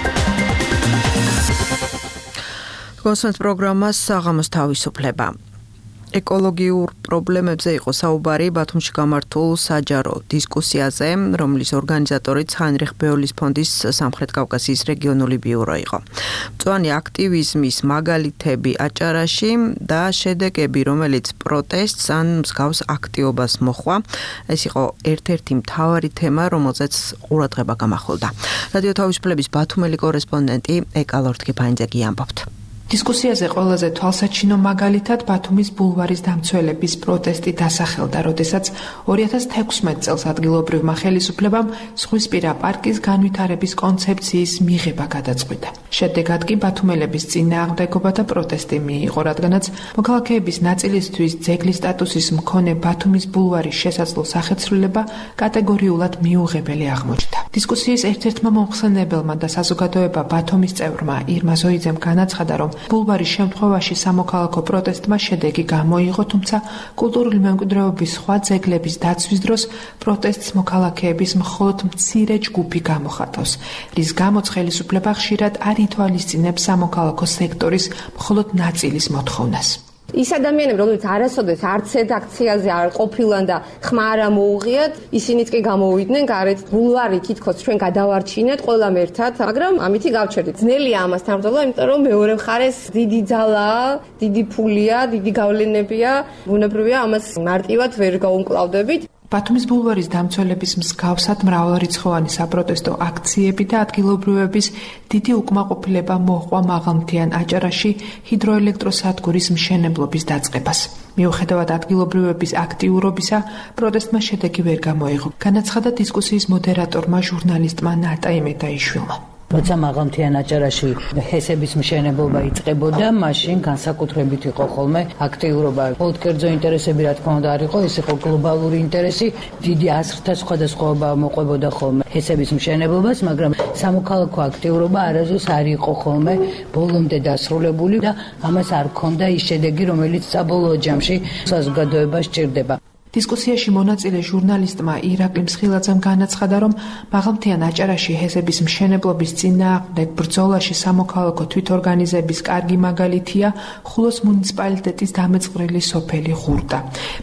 გოსმენთ პროგრამას საღამოს თავისუფლება. ეკოლოგიურ პრობლემებზე იყო საუბარი ბათუმში გამართულ საჯარო დისკუსიაზე, რომლის ორგანიზატორი ცხენრიხ ბეოლის ფონდის სამხრეთ კავკასიის რეგიონული ბიურო იყო. მწვანე აქტივიზმის მაგალითები აჭარაში და შედეგები, რომელიც პროტესტს ან მსგავს აქტივობას მოჰყვა, ეს იყო ერთ-ერთი მთავარი თემა, რომელზეც ყურადღება გამახვილდა. რადიო თავისუფლების ბათუმელი კორესპონდენტი ეკალორ თქიფანიძე ამბობთ. დისკუსიაზე ყველაზე თვალსაჩინო მაგალითად ბათუმის ბულვარის დამცველების პროტესტი დასახელდა, როდესაც ორი ათას თექვსმეტ წელს ადგილობრივმა ხელისუფლებამ ზღვისპირა პარკის განვითარების კონცეფციის მიღება გადაწყვიტა. შედეგად კი ბათუმელების წინააღმდეგობა და პროტესტი მიიღო, რადგანაც მოქალაქეების ნაწილისთვის ძეგლის სტატუსის მქონე ბათუმის ბულვარის შესაძლო სახეცვლილება კატეგორიულად მიუღებელი აღმოჩნდა. დისკუსიის ერთ-ერთმა მომხსენებელმა და საზოგადოება ბათუმის წევრმა ირმა ზოიძემ განაცხადა, რომ ბულვარის შემთხვევაში სამოქალაქო პროტესტმა შედეგი გამოიღო, თუმცა კულტურული მემკვიდრეობის სხვა ძეგლების დაცვის დროს პროტესტს მოქალაქეების მხოლოდ მცირე ჯგუფი გამოხატავს, რის გამოც ხელისუფლება ხშირად არ ითვალისწინებს სამოქალაქო სექტორის მხოლოდ ნაწილის მოთხოვნას. ის ადამიანები, რომლებიც არასოდეს არც ერთ აქციაზე არ ყოფილან და ხმა არ მოუღიათ, ისინიც კი გამოვიდნენ გარეთ. ბულვარი თითქოს ჩვენ გადავარჩინეთ ყველამ ერთად, მაგრამ ამითი გავჩერდით. ძნელია ამასთან ბრძოლა, იმიტომ რომ მეორე მხარეს დიდი ძალაა, დიდი ფულია, დიდი გავლენებია. ბუნებრივია, ამას მარტივად ვერ გაუმკლავდებით. ბათუმის ბულვარის დამცველების მსგავსად მრავალრიცხოვანი საპროტესტო აქციები და ადგილობრივების დიდი უკმაყოფილება მოჰყვა მაღალმთიან აჭარაში ჰიდროელექტროსადგურის მშენებლობის დაწყებას. მიუხედავად ადგილობრივების აქტიურობისა, პროტესტმა შედეგი ვერ გამოიღო. განაცხადა დისკუსიის მოდერატორმა ჟურნალისტმა ნატა იმედაიშვილმა. როცა მაღალმთიან აჭარაში ჰესების მშენებლობა იწყებოდა, მაშინ განსაკუთრებით იყო ხოლმე აქტიურობა. მხოლოდ კერძო ინტერესები, რა თქმა უნდა, არ იყო, ეს იყო გლობალური ინტერესი. დიდი აზრთა სხვადასხვაობა მოყვებოდა ხოლმე ჰესების მშენებლობას, მაგრამ სამოქალაქო აქტიურობა არასდროს არ იყო ხოლმე ბოლომდე დასრულებული და ამას არ ჰქონდა ის შედეგი, რომელიც საბოლოო ჯამში საზოგადოებას სჭირდება. დისკუსიაში მონაწილე ჟურნალისტმა ირაკლი მსხილაძემ განაცხადა, რომ მაღალმთიან აჭარაში ჰესების მშენებლობის წინააღმდეგ ბრძოლაში სამოქალაქო თვითორგანიზების კარგი მაგალითია ხულოს მუნიციპალიტეტის დამეწყვრილი სოფელი ღურდა.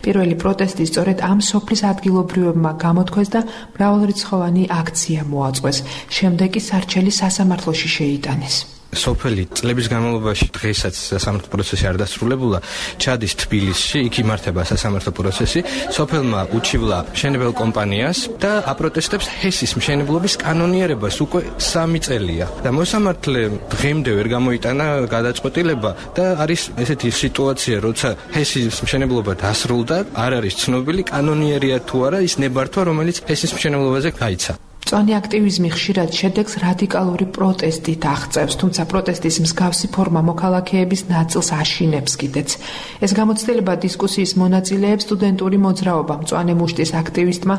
პირველი პროტესტი სწორედ ამ სოფლის ადგილობრივებმა გამოთქვეს და მრავალრიცხოვანი აქცია მოაწყვეს. შემდეგ კი სარჩელი სასამართლოში შეიტანეს. სოფელი წლების განმავლობაში დღესაც სასამართლო პროცესი არ დასრულებულა, ჩადის თბილისში, იქ იმართება სასამართლო პროცესი. სოფელმა უჩივლა მშენებელ კომპანიას და აპროტესტებს ჰესის მშენებლობის კანონიერებას უკვე სამი წელია. და მოსამართლე დღემდე ვერ გამოიტანა გადაწყვეტილება და არის ესეთი სიტუაცია, როცა ჰესის მშენებლობა დასრულდა, არ არის ცნობილი კანონიერია თუ არა ის ნებართვა, რომელიც ჰესის მშენებლობაზე გაიცა. მწვანე აქტივიზმი ხშირად შედეგს რადიკალური პროტესტით აღწევს, თუმცა პროტესტის მსგავსი ფორმა მოქალაქეების ნაწილს აშინებს კიდეც. ეს გამოცდილება დისკუსიის მონაწილეებს სტუდენტური მოძრაობა მწვანე მუშტის აქტივისტმა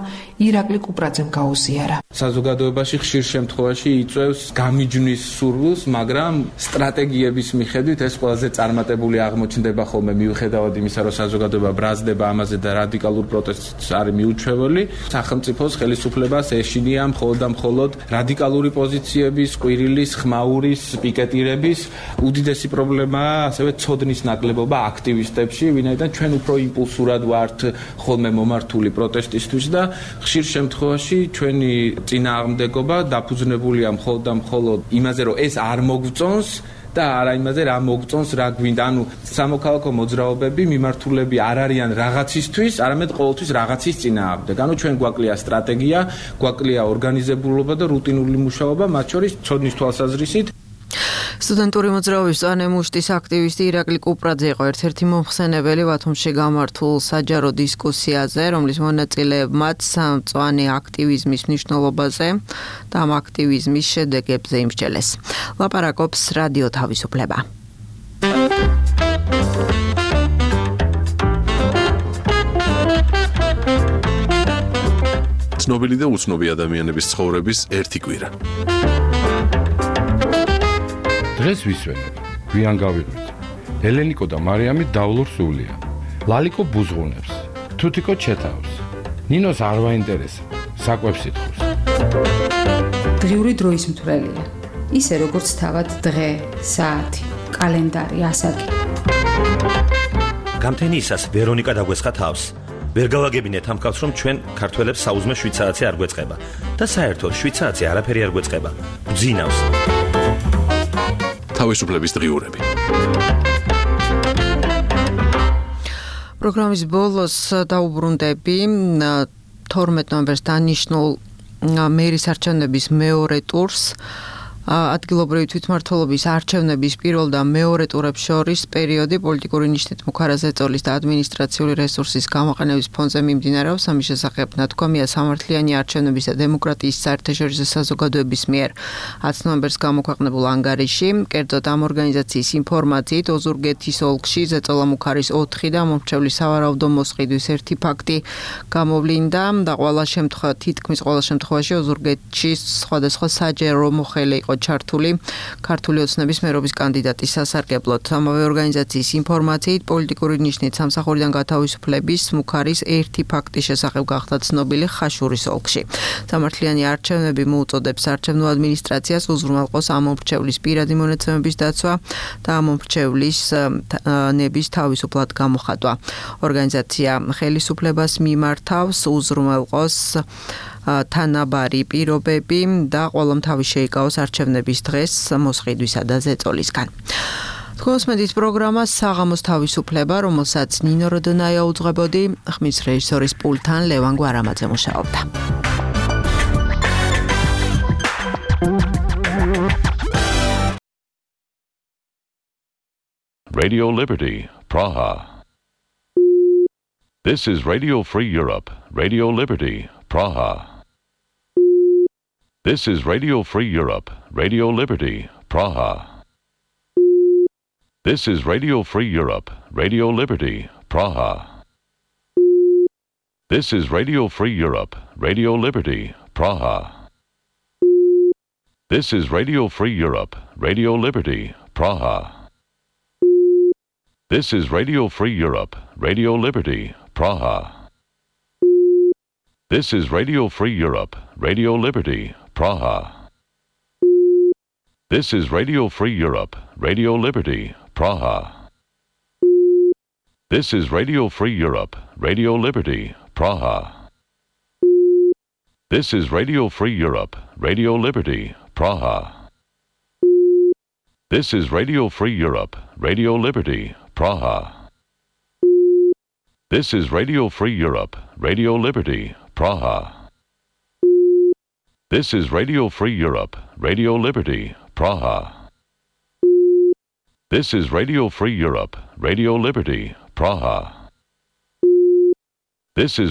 ირაკლი კუპრაძემ გაუზიარა. საზოგადოებაში ხშირ შემთხვევაში იწვევს გამიჯვნის სურვილს, მაგრამ სტრატეგიების მიხედვით ეს ყველაზე წარმატებული აღმოჩნდება ხოლმე მიუხედავად იმისა, რომ საზოგადოება ბრაზდება ამაზე და რადიკალურ პროტესტს არის მიუჩვეველი. სახელმწიფოს ხელისუფლებას ეშინია მხოლოდ და მხოლოდ რადიკალური პოზიციების, ყვირილის, ხმაურის, პიკეტირების უდიდესი პრობლემაა ასევე ცოდნის ნაკლებობა აქტივისტებში, ვინაიდან ჩვენ უფრო იმპულსურად ვართ ხოლმე მომართული პროტესტისთვის და ხშირ შემთხვევაში ჩვენი წინააღმდეგობა დაფუძნებულია მხოლოდ და მხოლოდ იმაზე, რომ ეს არ მოგწონს და არა იმაზე რა მოგწონს, რა გვინდა. ანუ სამოქალაქო მოძრაობები მიმართულები არ არიან რაღაცისთვის, არამედ ყოველთვის რაღაცის წინააღმდეგ. ანუ ჩვენ გვაკლია სტრატეგია, გვაკლია ორგანიზებულობა და რუტინული მუშაობა, მათ შორის ცოდნის თვალსაზრისით. სტუდენტური მოძრაობის მწვანე მუშტის აქტივისტი ირაკლი კუპრაძე იყო ერთ-ერთი მომხსენებელი ბათუმში გამართულ საჯარო დისკუსიაზე, რომლის მონაწილეებმაც მწვანე აქტივიზმის მნიშვნელობაზე და ამ აქტივიზმის შედეგებზე იმსჯელეს. ლაპარაკობს რადიო თავისუფლება. ცნობილი და უცნობი ადამიანების ცხოვრების ერთი კვირა. დღეს ვისვენებ, გვიან გავიღვიძ. ელენიკო და მარიამი დავლურ სულია. ლალიკო ბუზღუნებს, თუთიკო ჩეთავს. ნინოს არ ვაინტერესა, საკვებს ითხოვს. დღიური დროის მთვრელია. ისე როგორც თავად დღე, საათი, კალენდარი, ასაკი. გამთენიისას ვერონიკა დაგვესხა თავს. ვერ გავაგებინეთ ამ კაცს, რომ ჩვენ ქართველებს საუზმე შვიცარიცი არ გვეწყება და საერთოდ შვიცარიცი არაფერი არ გვეწყება. გძინავს. თავისუფლების დღიურები. პროგრამის ბოლოს დაუბრუნდები თორმეტ ნოემბერს დანიშნულ მერის არჩევნების მეორე ტურს. ადგილობრივი თვითმმართველობის არჩევნების პირველ და მეორე ტურებს შორის პერიოდი პოლიტიკური ნიშნით მუქარაზე წოლის და ადმინისტრაციული რესურსის გამოყენების ფონზე მიმდინარეობს. ამის შესახებ ნათქვამია სამართლიანი არჩევნების და დემოკრატიის საერთაშორისო საზოგადოების მიერ ათი ნოემბერს გამოქვეყნებულ ანგარიში. კერძოდ ამ ორგანიზაციის ინფორმაციით ოზურგეთის ოლქში ზეწოლა მუქარის ოთხი და მომრჩევლის სავარაუდო მოსყიდვის ერთი ფაქტი გამოვლინდა და ყველა შემთხვევაში თითქმის ყველა შემთხვევაში ოზურგეთში სხვადასხვა საჯარო მოხელე იყო ჩართული ქართული ოცნების მერობის კანდიდატის სასარგებლოდ. ამავე ორგანიზაციის ინფორმაციით პოლიტიკური ნიშნით სამსახურიდან გათავისუფლების მუქარის ერთი ფაქტის შესახებ გახდა ცნობილი ხაშურის ოლქში. სამართლიანი არჩევნები მოუწოდებს არჩევნო ადმინისტრაციას უზრუნველყოს ამ მომრჩევლის პირადი მონაცემების დაცვა და ამ მომრჩევლის ნების თავისუფლად გამოხატვა. ორგანიზაცია ხელისუფლებას მიმართავს უზრუნველყოს თანაბარი პირობები და ყველამთავი შეიკავოს არჩევნების დღეს მოსყიდვისა და ზეწოლისგან. Კოსმეტის პროგრამა საღამოს თავისუფლება, რომელსაც ნინო როდონაია უძღვებოდი, ხმის რეჟისორის პულტთან ლევან გვარამაძე მუშაობდა. Radio Liberty, Praha. This is Radio Free Europe, Radio Liberty, Praha. This is Radio Free Europe, Radio Liberty, Praha. This is Radio Free Europe, Radio Liberty, Praha. This is Radio Free Europe, Radio Liberty, Praha. This is Radio Free Europe, Radio Liberty, Praha. This is Radio Free Europe, Radio Liberty, Praha. This is Radio Free Europe, Radio Liberty, Praha. This is Radio Free Europe, Radio Liberty, Praha. This is Radio Free Europe, Radio Liberty, Praha. This is Radio Free Europe, Radio Liberty, Praha. This is Radio Free Europe, Radio Liberty, Praha. This is Radio Free Europe, Radio Liberty, Praha. This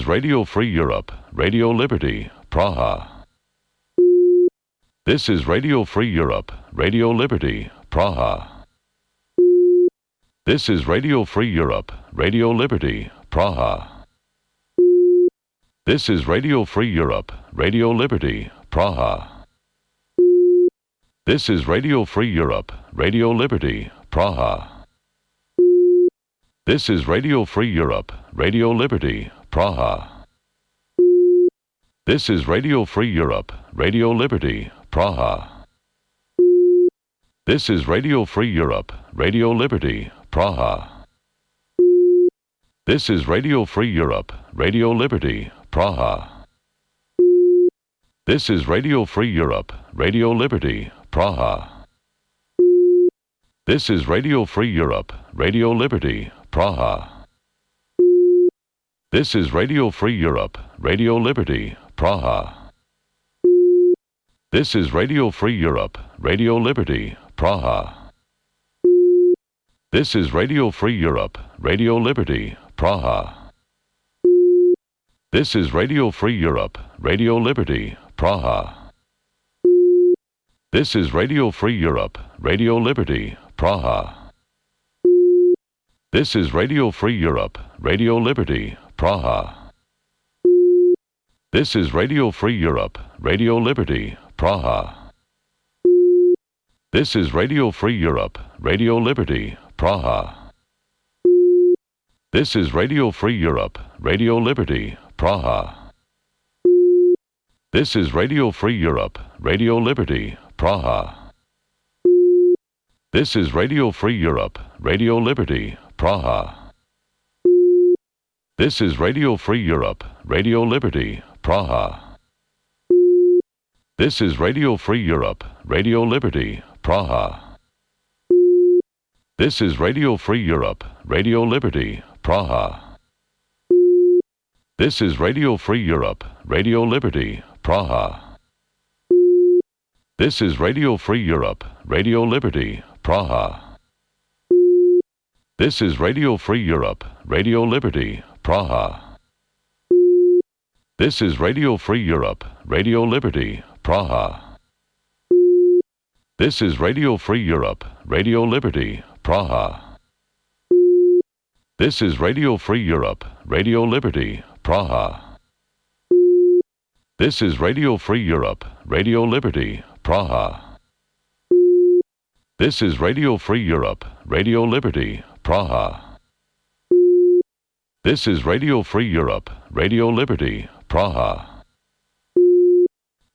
is Radio Free Europe, Radio Liberty, Praha. This is Radio Free Europe, Radio Liberty, Praha. This is Radio Free Europe, Radio Liberty, Praha. This is Radio Free Europe, Radio Liberty, Praha. This is Radio Free Europe, Radio Liberty, Praha. This is Radio Free Europe, Radio Liberty, Praha. This is Radio Free Europe, Radio Liberty, Praha. This is Radio Free Europe, Radio Liberty, Praha. This is Radio Free Europe, Radio Liberty, Praha. This is Radio Free Europe, Radio Liberty, Praha. This is Radio Free Europe, Radio Liberty, Praha. This is Radio Free Europe, Radio Liberty, Praha. This is Radio Free Europe, Radio Liberty, Praha. This is Radio Free Europe, Radio Liberty, Praha. This is Radio Free Europe, Radio Liberty, Praha. This is Radio Free Europe, Radio Liberty, Praha. This is Radio Free Europe, Radio Liberty, Praha. This is Radio Free Europe, Radio Liberty, Praha. This is Radio Free Europe, Radio Liberty, Praha. This is Radio Free Europe, Radio Liberty, Praha. This is Radio Free Europe, Radio Liberty, Praha. This is Radio Free Europe, Radio Liberty, Praha. This is Radio Free Europe, Radio Liberty, Praha. This is Radio Free Europe, Radio Liberty, Praha. This is Radio Free Europe, Radio Liberty, Praha. This is Radio Free Europe, Radio Liberty, Praha. This is Radio Free Europe, Radio Liberty, Praha. This is Radio Free Europe, Radio Liberty, Praha. This is Radio Free Europe, Radio Liberty, Praha. This is Radio Free Europe, Radio Liberty, Praha. This is Radio Free Europe, Radio Liberty, Praha. This is Radio Free Europe, Radio Liberty, Praha. This is Radio Free Europe, Radio Liberty, Praha. This is Radio Free Europe, Radio Liberty, Praha. This is Radio Free Europe, Radio Liberty, Praha. This is Radio Free Europe, Radio Liberty, Praha.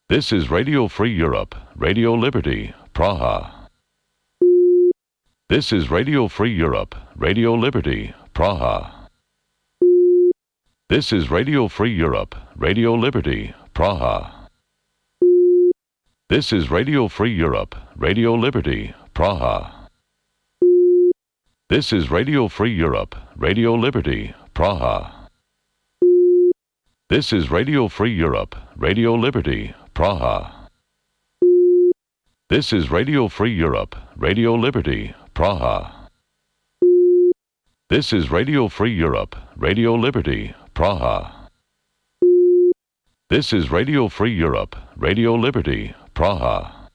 This is Radio Free Europe, Radio Liberty, Praha. This is Radio Free Europe, Radio Liberty, Praha. This is Radio Free Europe, Radio Liberty, Praha. This is Radio Free Europe, Radio Liberty, Praha. This is Radio Free Europe, Radio Liberty, Praha. This is Radio Free Europe, Radio Liberty, Praha. This is Radio Free Europe, Radio Liberty, Praha. This is Radio Free Europe, Radio Liberty, Praha. This is Radio Free Europe, Radio Liberty, Praha.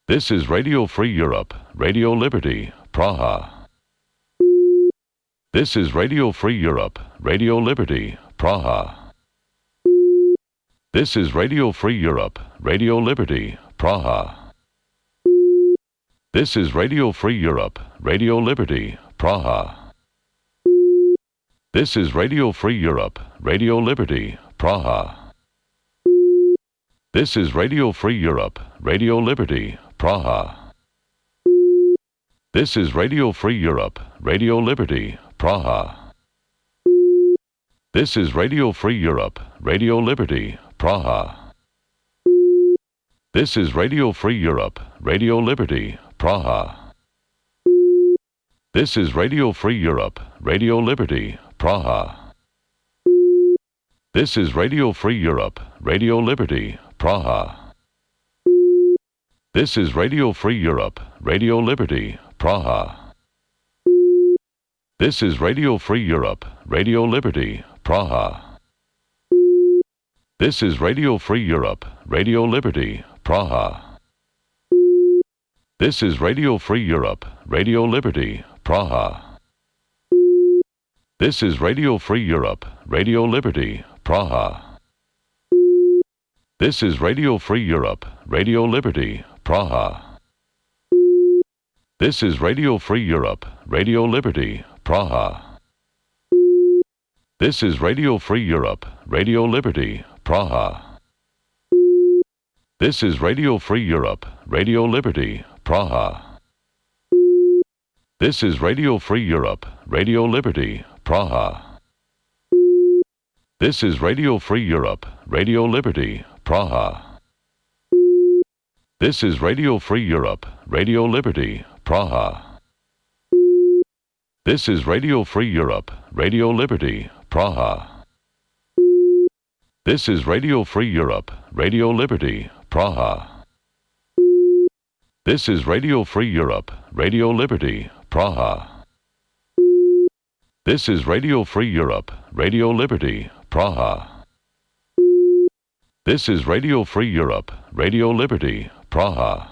This is Radio Free Europe, Radio Liberty, Praha. This is Radio Free Europe, Radio Liberty, Praha. This is Radio Free Europe, Radio Liberty, Praha. This is Radio Free Europe, Radio Liberty, Praha. This is Radio Free Europe, Radio Liberty, Praha. This is Radio Free Europe, Radio Liberty, Praha. This is Radio Free Europe, Radio Liberty, Praha. This is Radio Free Europe, Radio Liberty, Praha. This is Radio Free Europe, Radio Liberty, Praha. This is Radio Free Europe, Radio Liberty, Praha. This is Radio Free Europe, Radio Liberty, Praha. This is Radio Free Europe, Radio Liberty, Praha. This is Radio Free Europe, Radio Liberty, Praha. This is Radio Free Europe, Radio Liberty, Praha. This is Radio Free Europe, Radio Liberty, Praha. This is Radio Free Europe, Radio Liberty, Praha. This is Radio Free Europe, Radio Liberty, Praha. This is Radio Free Europe, Radio Liberty, Praha. This is Radio Free Europe, Radio Liberty, Praha. This is Radio Free Europe, Radio Liberty, Praha. This is Radio Free Europe, Radio Liberty, Praha. This is Radio Free Europe, Radio Liberty, Praha. This is Radio Free Europe, Radio Liberty, Praha. This is Radio Free Europe, Radio Liberty, Praha. This is Radio Free Europe, Radio Liberty, Praha. This is Radio Free Europe, Radio Liberty, Praha. This is Radio Free Europe, Radio Liberty, Praha. This is Radio Free Europe, Radio Liberty, Praha.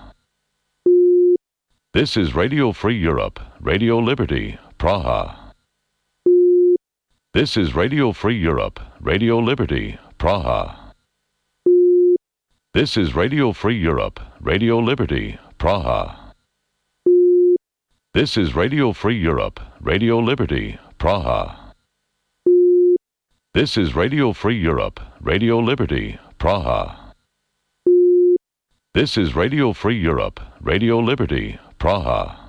This is Radio Free Europe, Radio Liberty, Praha. This is Radio Free Europe, Radio Liberty, Praha. This is Radio Free Europe, Radio Liberty, Praha. This is Radio Free Europe, Radio Liberty, Praha. This is Radio Free Europe, Radio Liberty, Praha.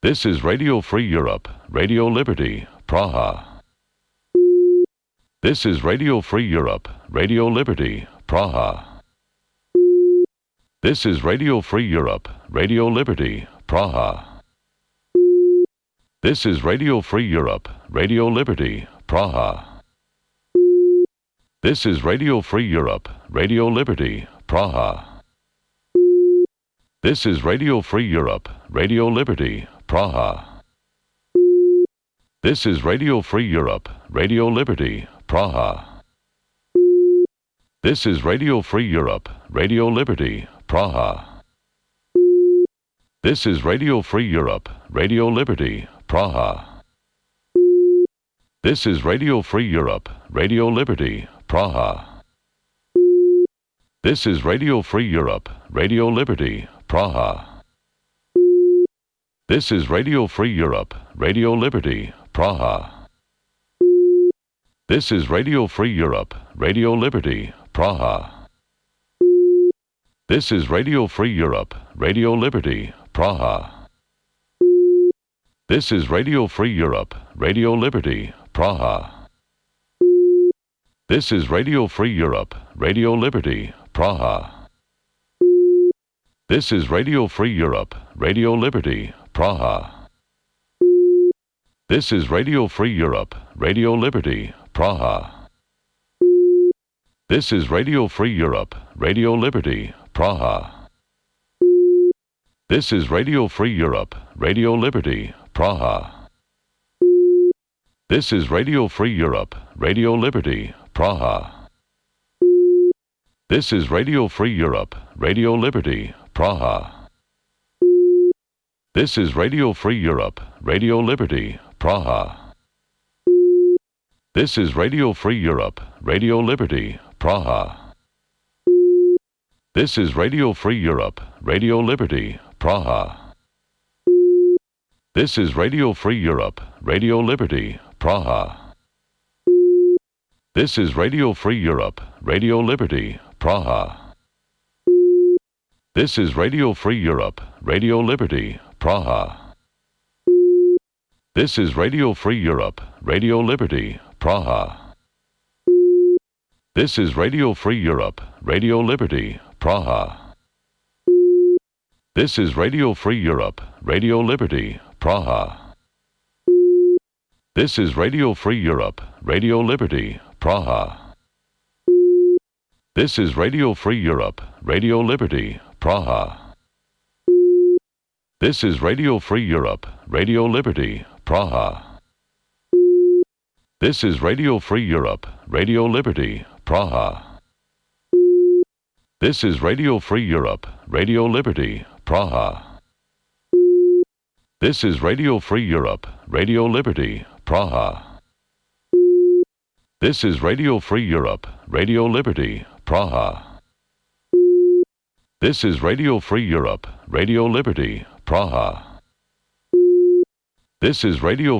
This is Radio Free Europe, Radio Liberty, Praha. This is Radio Free Europe, Radio Liberty, Praha. This is Radio Free Europe, Radio Liberty, Praha. This is Radio Free Europe, Radio Liberty, Praha. This is Radio Free Europe, Radio Liberty, Praha. This is Radio Free Europe, Radio Liberty, Praha. This is Radio Free Europe, Radio Liberty, Praha. This is Radio Free Europe, Radio Liberty, Praha. This is Radio Free Europe, Radio Liberty, Praha. This is Radio Free Europe, Radio Liberty, Praha. This is Radio Free Europe, Radio Liberty, Praha. This is Radio Free Europe, Radio Liberty, Praha. This is Radio Free Europe, Radio Liberty, Praha. This is Radio Free Europe, Radio Liberty, Praha. This is Radio Free Europe, Radio Liberty, Praha. This is Radio Free Europe, Radio Liberty, Praha. This is Radio Free Europe, Radio Liberty, Praha. This is Radio Free Europe, Radio Liberty, Praha. This is Radio Free Europe, Radio Liberty, Praha. This is Radio Free Europe, Radio Liberty, Praha. This is Radio Free Europe, Radio Liberty, Praha. This is Radio Free Europe, Radio Liberty, Praha. This is Radio Free Europe, Radio Liberty, Praha. This is Radio Free Europe, Radio Liberty, Praha. This is Radio Free Europe, Radio Liberty, Praha. This is Radio Free Europe, Radio Liberty, Praha. This is Radio Free Europe, Radio Liberty, Praha. This is Radio Free Europe, Radio Liberty, Praha. This is Radio Free Europe, Radio Liberty, Praha. This is Radio Free Europe, Radio Liberty, Praha. This is Radio Free Europe, Radio Liberty, Praha. This is Radio Free Europe, Radio Liberty, Praha. This is Radio Free Europe, Radio Liberty, Praha. This is Radio Free Europe, Radio Liberty, Praha. This is Radio Free Europe, Radio Liberty, Praha. This is Radio Free Europe, Radio Liberty, Praha. This is Radio Free Europe, Radio Liberty, Praha. This is Radio Free Europe, Radio Liberty, Praha. This is Radio Free Europe, Radio Liberty, Praha. This is Radio Free Europe, Radio Liberty,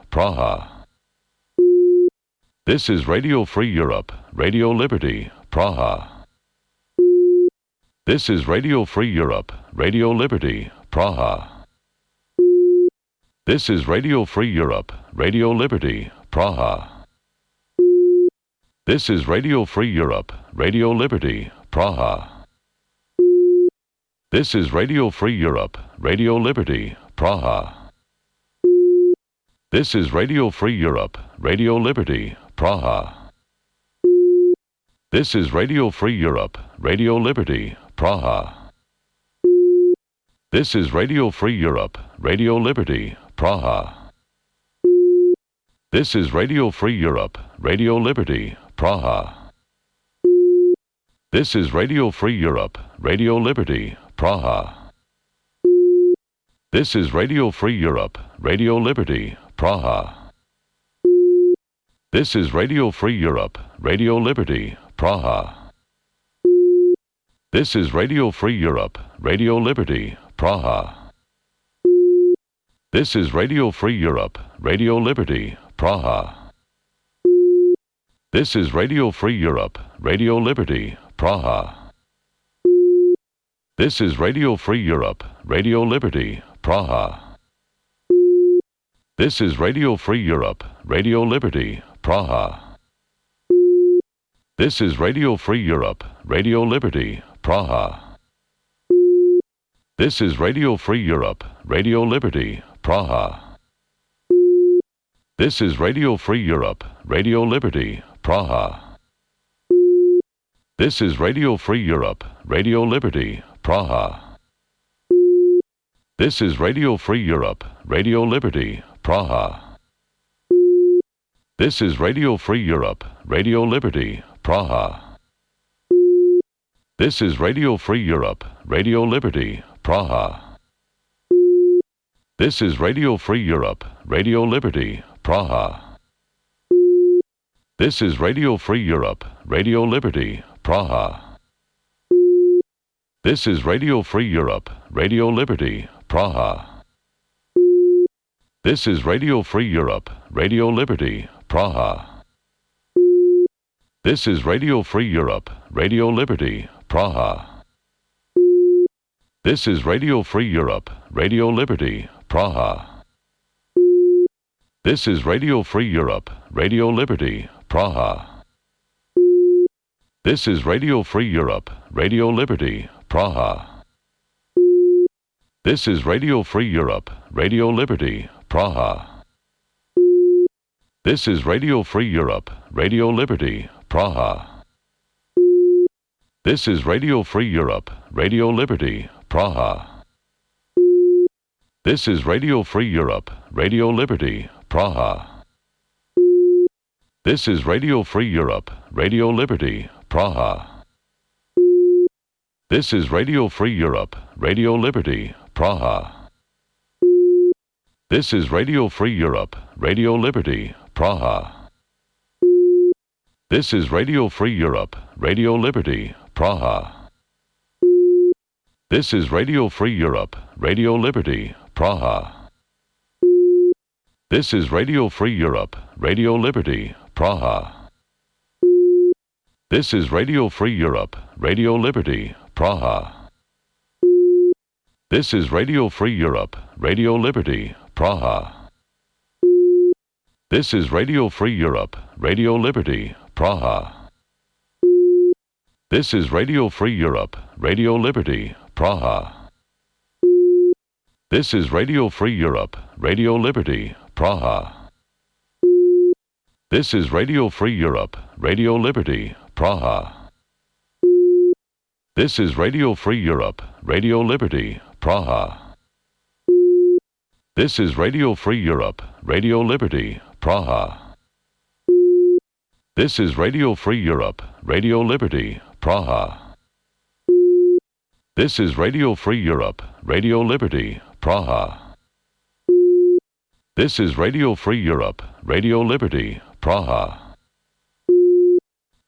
Praha. This is Radio Free Europe, Radio Liberty, Praha. This is Radio Free Europe, Radio Liberty, Praha. This is Radio Free Europe, Radio Liberty, Praha. This is Radio Free Europe, Radio Liberty, Praha. This is Radio Free Europe, Radio Liberty, Praha. This is Radio Free Europe, Radio Liberty, Praha. This is Radio Free Europe, Radio Liberty, Praha. This is Radio Free Europe, Radio Liberty, Praha. This is Radio Free Europe, Radio Liberty, Praha. This is Radio Free Europe, Radio Liberty, Praha. This is Radio Free Europe, Radio Liberty, Praha. This is Radio Free Europe, Radio Liberty, Praha. This is Radio Free Europe, Radio Liberty, Praha. This is Radio Free Europe, Radio Liberty, Praha. This is Radio Free Europe, Radio Liberty, Praha. This is Radio Free Europe, Radio Liberty, Praha. This is Radio Free Europe, Radio Liberty, Praha. This is Radio Free Europe, Radio Liberty, Praha. This is Radio Free Europe, Radio Liberty, Praha. This is Radio Free Europe, Radio Liberty, Praha. This is Radio Free Europe, Radio Liberty, Praha. This is Radio Free Europe, Radio Liberty, Praha. This is Radio Free Europe, Radio Liberty, Praha. This is Radio Free Europe, Radio Liberty, Praha. This is Radio Free Europe, Radio Liberty, Praha. This is Radio Free Europe, Radio Liberty, Praha. This is Radio Free Europe, Radio Liberty, Praha. This is Radio Free Europe, Radio Liberty, Praha. This is Radio Free Europe, Radio Liberty, Praha. This is Radio Free Europe, Radio Liberty, Praha. This is Radio Free Europe, Radio Liberty, Praha. This is Radio Free Europe, Radio Liberty, Praha. This is Radio Free Europe, Radio Liberty, Praha. This is Radio Free Europe, Radio Liberty, Praha. This is Radio Free Europe, Radio Liberty, Praha. This is Radio Free Europe, Radio Liberty, Praha. This is Radio Free Europe, Radio Liberty, Praha. This is Radio Free Europe, Radio Liberty, Praha. This is Radio Free Europe, Radio Liberty, Praha. This is Radio Free Europe, Radio Liberty, Praha. This is Radio Free Europe, Radio Liberty, Praha. This is Radio Free Europe, Radio Liberty, Praha. This is Radio Free Europe, Radio Liberty, Praha. This is Radio Free Europe, Radio Liberty, Praha. This is Radio Free Europe, Radio Liberty, Praha. This is Radio Free Europe, Radio Liberty, Praha. This is Radio Free Europe, Radio Liberty, Praha. This is Radio Free Europe, Radio Liberty, Praha. This is Radio Free Europe, Radio Liberty, Praha. This is Radio Free Europe, Radio Liberty, Praha. This is Radio Free Europe, Radio Liberty, Praha. This is Radio Free Europe, Radio Liberty, Praha. This is Radio Free Europe, Radio Liberty, Praha. This is Radio Free Europe, Radio Liberty, Praha.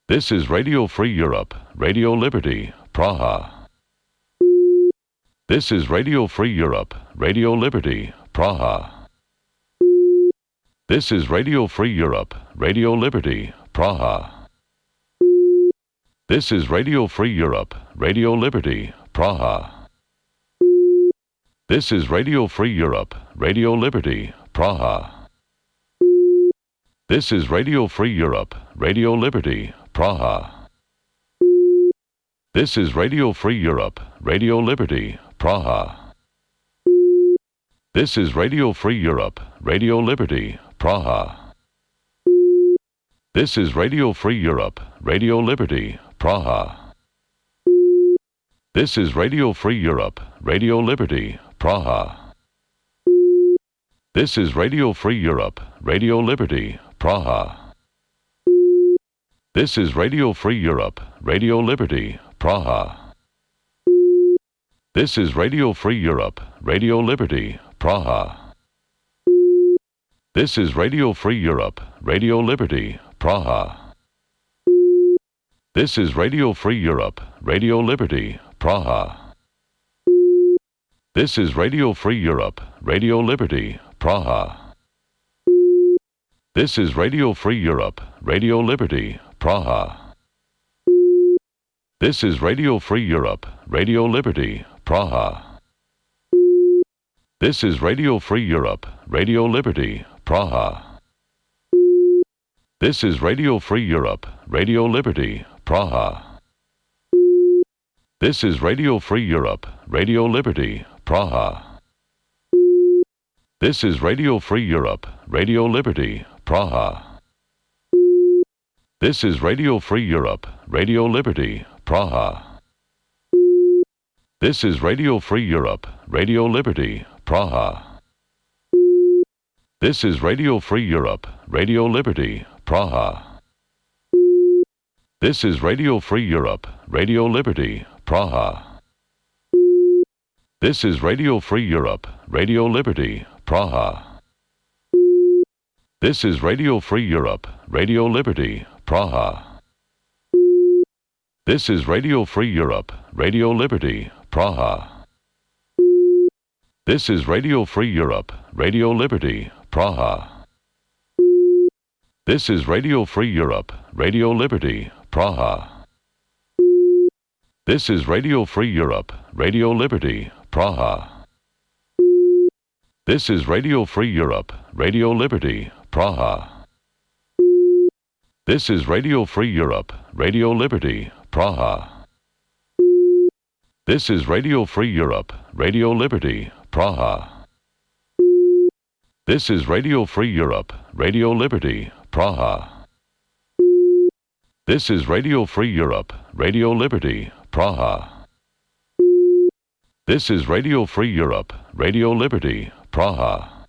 This is Radio Free Europe, Radio Liberty, Praha. This is Radio Free Europe, Radio Liberty, Praha. This is Radio Free Europe, Radio Liberty, Praha. This is Radio Free Europe, Radio Liberty, Praha. This is Radio Free Europe, Radio Liberty, Praha. This is Radio Free Europe, Radio Liberty, Praha. This is Radio Free Europe, Radio Liberty, Praha. This is Radio Free Europe, Radio Liberty, Praha. This is Radio Free Europe, Radio Liberty, Praha. This is Radio Free Europe, Radio Liberty, Praha. This is Radio Free Europe, Radio Liberty, Praha. This is Radio Free Europe, Radio Liberty, Praha. This is Radio Free Europe, Radio Liberty, Praha. This is Radio Free Europe, Radio Liberty, Praha. This is Radio Free Europe, Radio Liberty, Praha. This is Radio Free Europe, Radio Liberty, Praha. This is Radio Free Europe, Radio Liberty, Praha. This is Radio Free Europe, Radio Liberty, Praha. This is Radio Free Europe, Radio Liberty, Praha. This is Radio Free Europe, Radio Liberty, Praha. This is Radio Free Europe, Radio Liberty, Praha. This is Radio Free Europe, Radio Liberty, Praha. This is Radio Free Europe, Radio Liberty, Praha. This is Radio Free Europe, Radio Liberty, Praha. This is Radio Free Europe, Radio Liberty, Praha. This is Radio Free Europe, Radio Liberty, Praha. This is Radio Free Europe, Radio Liberty, Praha. This is Radio Free Europe, Radio Liberty, Praha. This is Radio Free Europe, Radio Liberty, Praha. This is Radio Free Europe, Radio Liberty, Praha. This is Radio Free Europe, Radio Liberty, Praha. This is Radio Free Europe, Radio Liberty, Praha. This is Radio Free Europe, Radio Liberty, Praha. This is Radio Free Europe, Radio Liberty, Praha. This is Radio Free Europe, Radio Liberty, Praha. This is Radio Free Europe, Radio Liberty, Praha. This is Radio Free Europe, Radio Liberty, Praha. This is Radio Free Europe, Radio Liberty, Praha.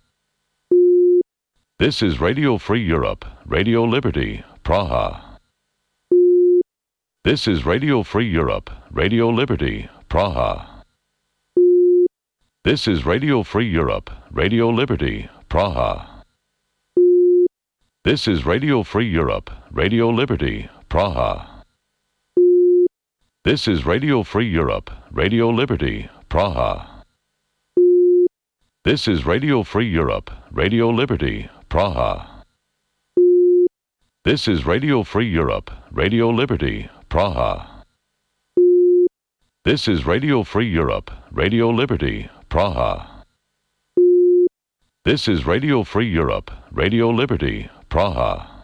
This is Radio Free Europe, Radio Liberty, Praha. This is Radio Free Europe, Radio Liberty, Praha. This is Radio Free Europe, Radio Liberty, Praha. This is Radio Free Europe, Radio Liberty, Praha. This is Radio Free Europe, Radio Liberty, Praha. This is Radio Free Europe, Radio Liberty, Praha. This is Radio Free Europe, Radio Liberty, Praha. This is Radio Free Europe, Radio Liberty, Praha. This is Radio Free Europe, Radio Liberty, Praha.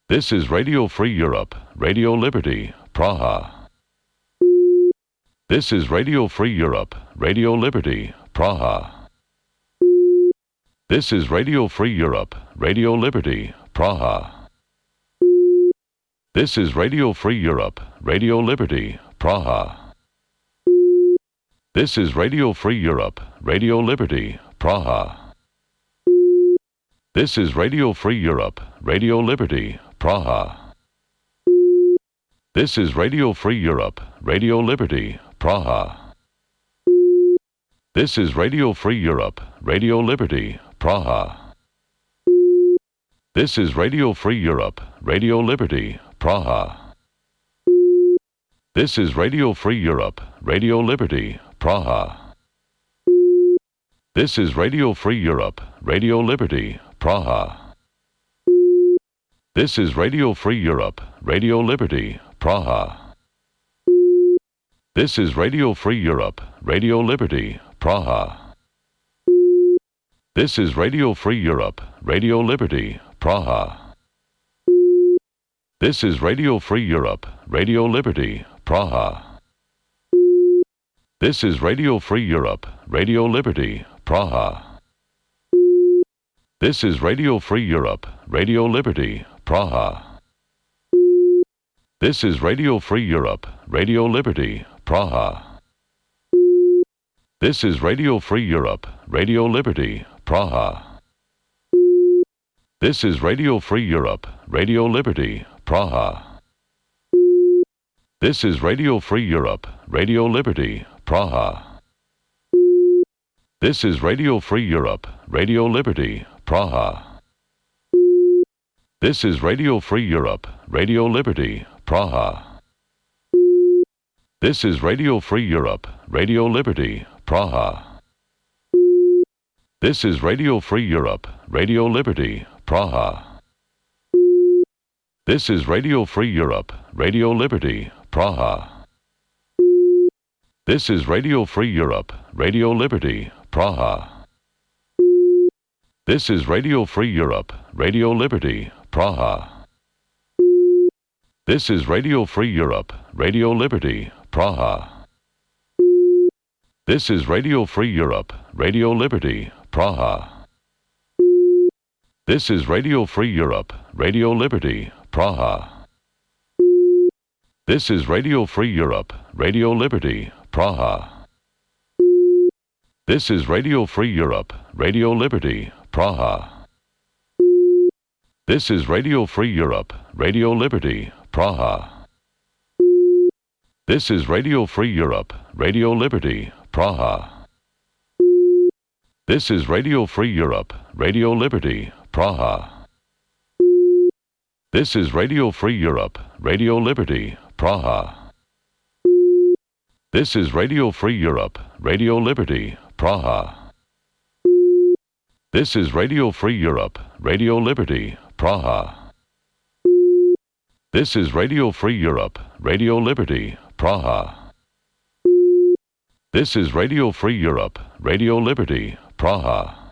This is Radio Free Europe, Radio Liberty, Praha. This is Radio Free Europe, Radio Liberty, Praha. This is Radio Free Europe, Radio Liberty, Praha. This is Radio Free Europe, Radio Liberty, Praha. This is Radio Free Europe, Radio Liberty, Praha. This is Radio Free Europe, Radio Liberty, Praha. This is Radio Free Europe, Radio Liberty, Praha. This is Radio Free Europe, Radio Liberty, Praha. This is Radio Free Europe, Radio Liberty, Praha. This is Radio Free Europe, Radio Liberty, Praha. This is Radio Free Europe, Radio Liberty, Praha. This is Radio Free Europe, Radio Liberty, Praha. This is Radio Free Europe, Radio Liberty, Praha. This is Radio Free Europe, Radio Liberty, Praha. This is Radio Free Europe, Radio Liberty, Praha. This is Radio Free Europe, Radio Liberty, Praha. This is Radio Free Europe, Radio Liberty, Praha. This is Radio Free Europe, Radio Liberty, Praha. This is Radio Free Europe, Radio Liberty, Praha. This is Radio Free Europe, Radio Liberty, Praha. This is Radio Free Europe, Radio Liberty, Praha. This is Radio Free Europe, Radio Liberty, Praha. This is Radio Free Europe, Radio Liberty, Praha. This is Radio Free Europe, Radio Liberty, Praha. This is Radio Free Europe, Radio Liberty, Praha. This is Radio Free Europe, Radio Liberty, Praha. This is Radio Free Europe, Radio Liberty, Praha. This is Radio Free Europe, Radio Liberty, Praha. This is Radio Free Europe, Radio Liberty, Praha. This is Radio Free Europe, Radio Liberty, Praha. This is Radio Free Europe, Radio Liberty, Praha. This is Radio Free Europe, Radio Liberty, Praha. This is Radio Free Europe, Radio Liberty, Praha. This is Radio Free Europe, Radio Liberty, Praha. This is Radio Free Europe, Radio Liberty, Praha. This is Radio Free Europe, Radio Liberty, Praha. This is Radio Free Europe, Radio Liberty, Praha. This is Radio Free Europe, Radio Liberty, Praha. This is Radio Free Europe, Radio Liberty, Praha. This is Radio Free Europe, Radio Liberty, Praha. This is Radio Free Europe, Radio Liberty, Praha.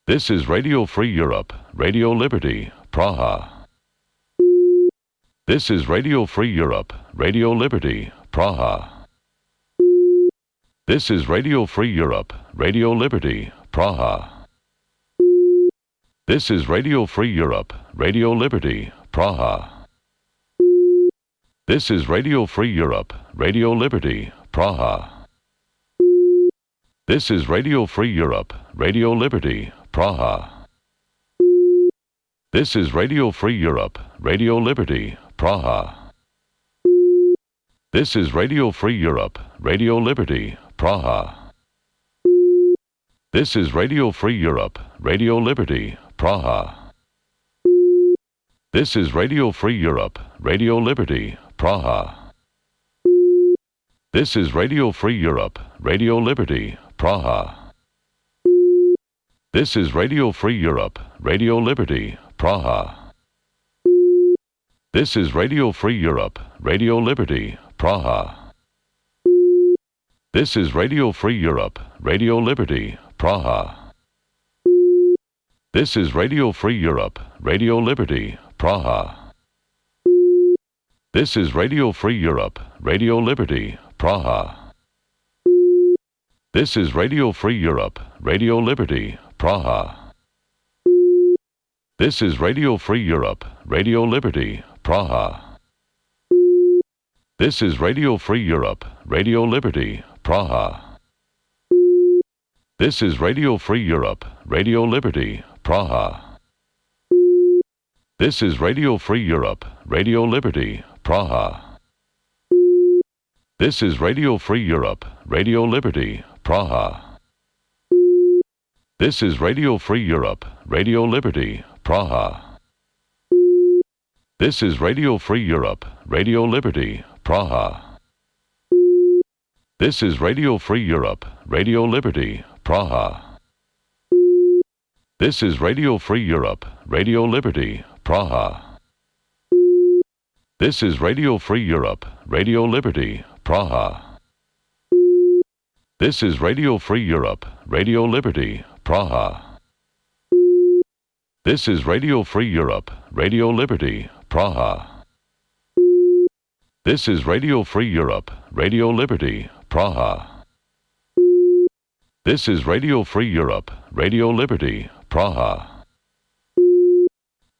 This is Radio Free Europe, Radio Liberty, Praha. This is Radio Free Europe, Radio Liberty, Praha. This is Radio Free Europe, Radio Liberty, Praha. This is Radio Free Europe, Radio Liberty, Praha. This is Radio Free Europe, Radio Liberty, Praha. This is Radio Free Europe, Radio Liberty, Praha. This is Radio Free Europe, Radio Liberty, Praha. This is Radio Free Europe, Radio Liberty, Praha. This is Radio Free Europe, Radio Liberty, Praha. This is Radio Free Europe, Radio Liberty, Praha. This is Radio Free Europe, Radio Liberty, Praha. This is Radio Free Europe, Radio Liberty, Praha. This is Radio Free Europe, Radio Liberty, Praha. This is Radio Free Europe, Radio Liberty, Praha. This is Radio Free Europe, Radio Liberty, Praha. This is Radio Free Europe, Radio Liberty, Praha. This is Radio Free Europe, Radio Liberty, Praha. This is Radio Free Europe, Radio Liberty, Praha. This is Radio Free Europe, Radio Liberty, Praha. This is Radio Free Europe, Radio Liberty, Praha. This is Radio Free Europe, Radio Liberty, Praha. This is Radio Free Europe, Radio Liberty, Praha. This is Radio Free Europe, Radio Liberty, Praha. This is Radio Free Europe, Radio Liberty, Praha. This is Radio Free Europe, Radio Liberty, Praha. This is Radio Free Europe, Radio Liberty, Praha. This is Radio Free Europe, Radio Liberty, Praha. This is Radio Free Europe, Radio Liberty, Praha. This is Radio Free Europe, Radio Liberty, Praha. This is Radio Free Europe, Radio Liberty, Praha. This is Radio Free Europe, Radio Liberty, Praha.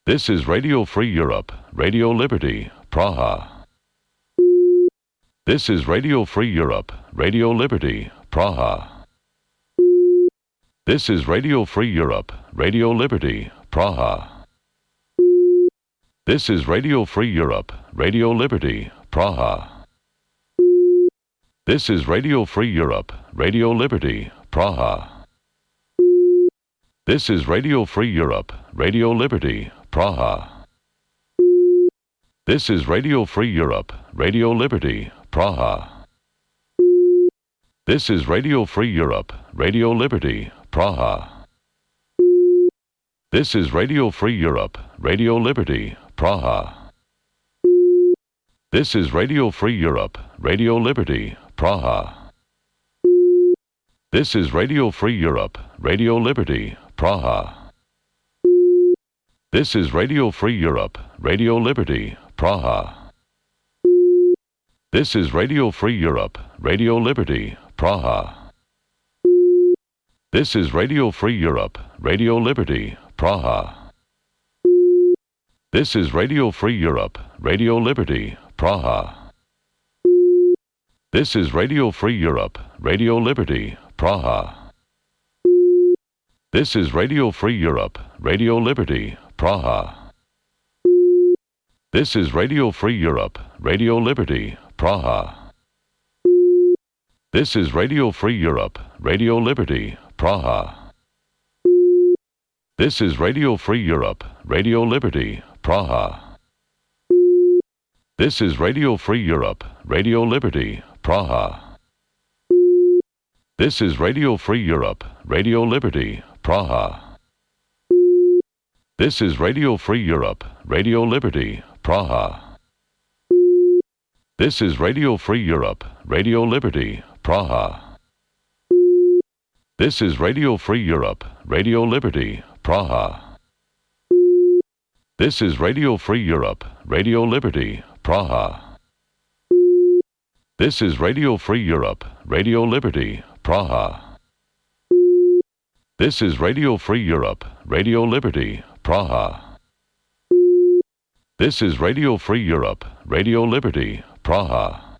This is Radio Free Europe, Radio Liberty, Praha. This is Radio Free Europe, Radio Liberty, Praha. This is Radio Free Europe, Radio Liberty, Praha. This is Radio Free Europe, Radio Liberty, Praha. This is Radio Free Europe, Radio Liberty, Praha. This is Radio Free Europe, Radio Liberty, Praha. This is Radio Free Europe, Radio Liberty, Praha. This is Radio Free Europe, Radio Liberty, Praha. This is Radio Free Europe, Radio Liberty, Praha. This is Radio Free Europe, Radio Liberty, Praha. This is Radio Free Europe, Radio Liberty, Praha. This is Radio Free Europe, Radio Liberty, Praha. This is Radio Free Europe, Radio Liberty, Praha. This is Radio Free Europe, Radio Liberty, Praha. This is Radio Free Europe, Radio Liberty, Praha. This is Radio Free Europe, Radio Liberty, Praha. This is Radio Free Europe, Radio Liberty, Praha. This is Radio Free Europe, Radio Liberty, Praha. This is Radio Free Europe, Radio Liberty, Praha. This is Radio Free Europe, Radio Liberty, Praha. This is Radio Free Europe, Radio Liberty, Praha. This is Radio Free Europe, Radio Liberty, Praha. This is Radio Free Europe, Radio Liberty, Praha. This is Radio Free Europe, Radio Liberty, Praha. This is Radio Free Europe, Radio Liberty, Praha. This is Radio Free Europe, Radio Liberty, Praha. This is Radio Free Europe, Radio Liberty, Praha. This is Radio Free Europe, Radio Liberty, Praha. This is Radio Free Europe, Radio Liberty, Praha.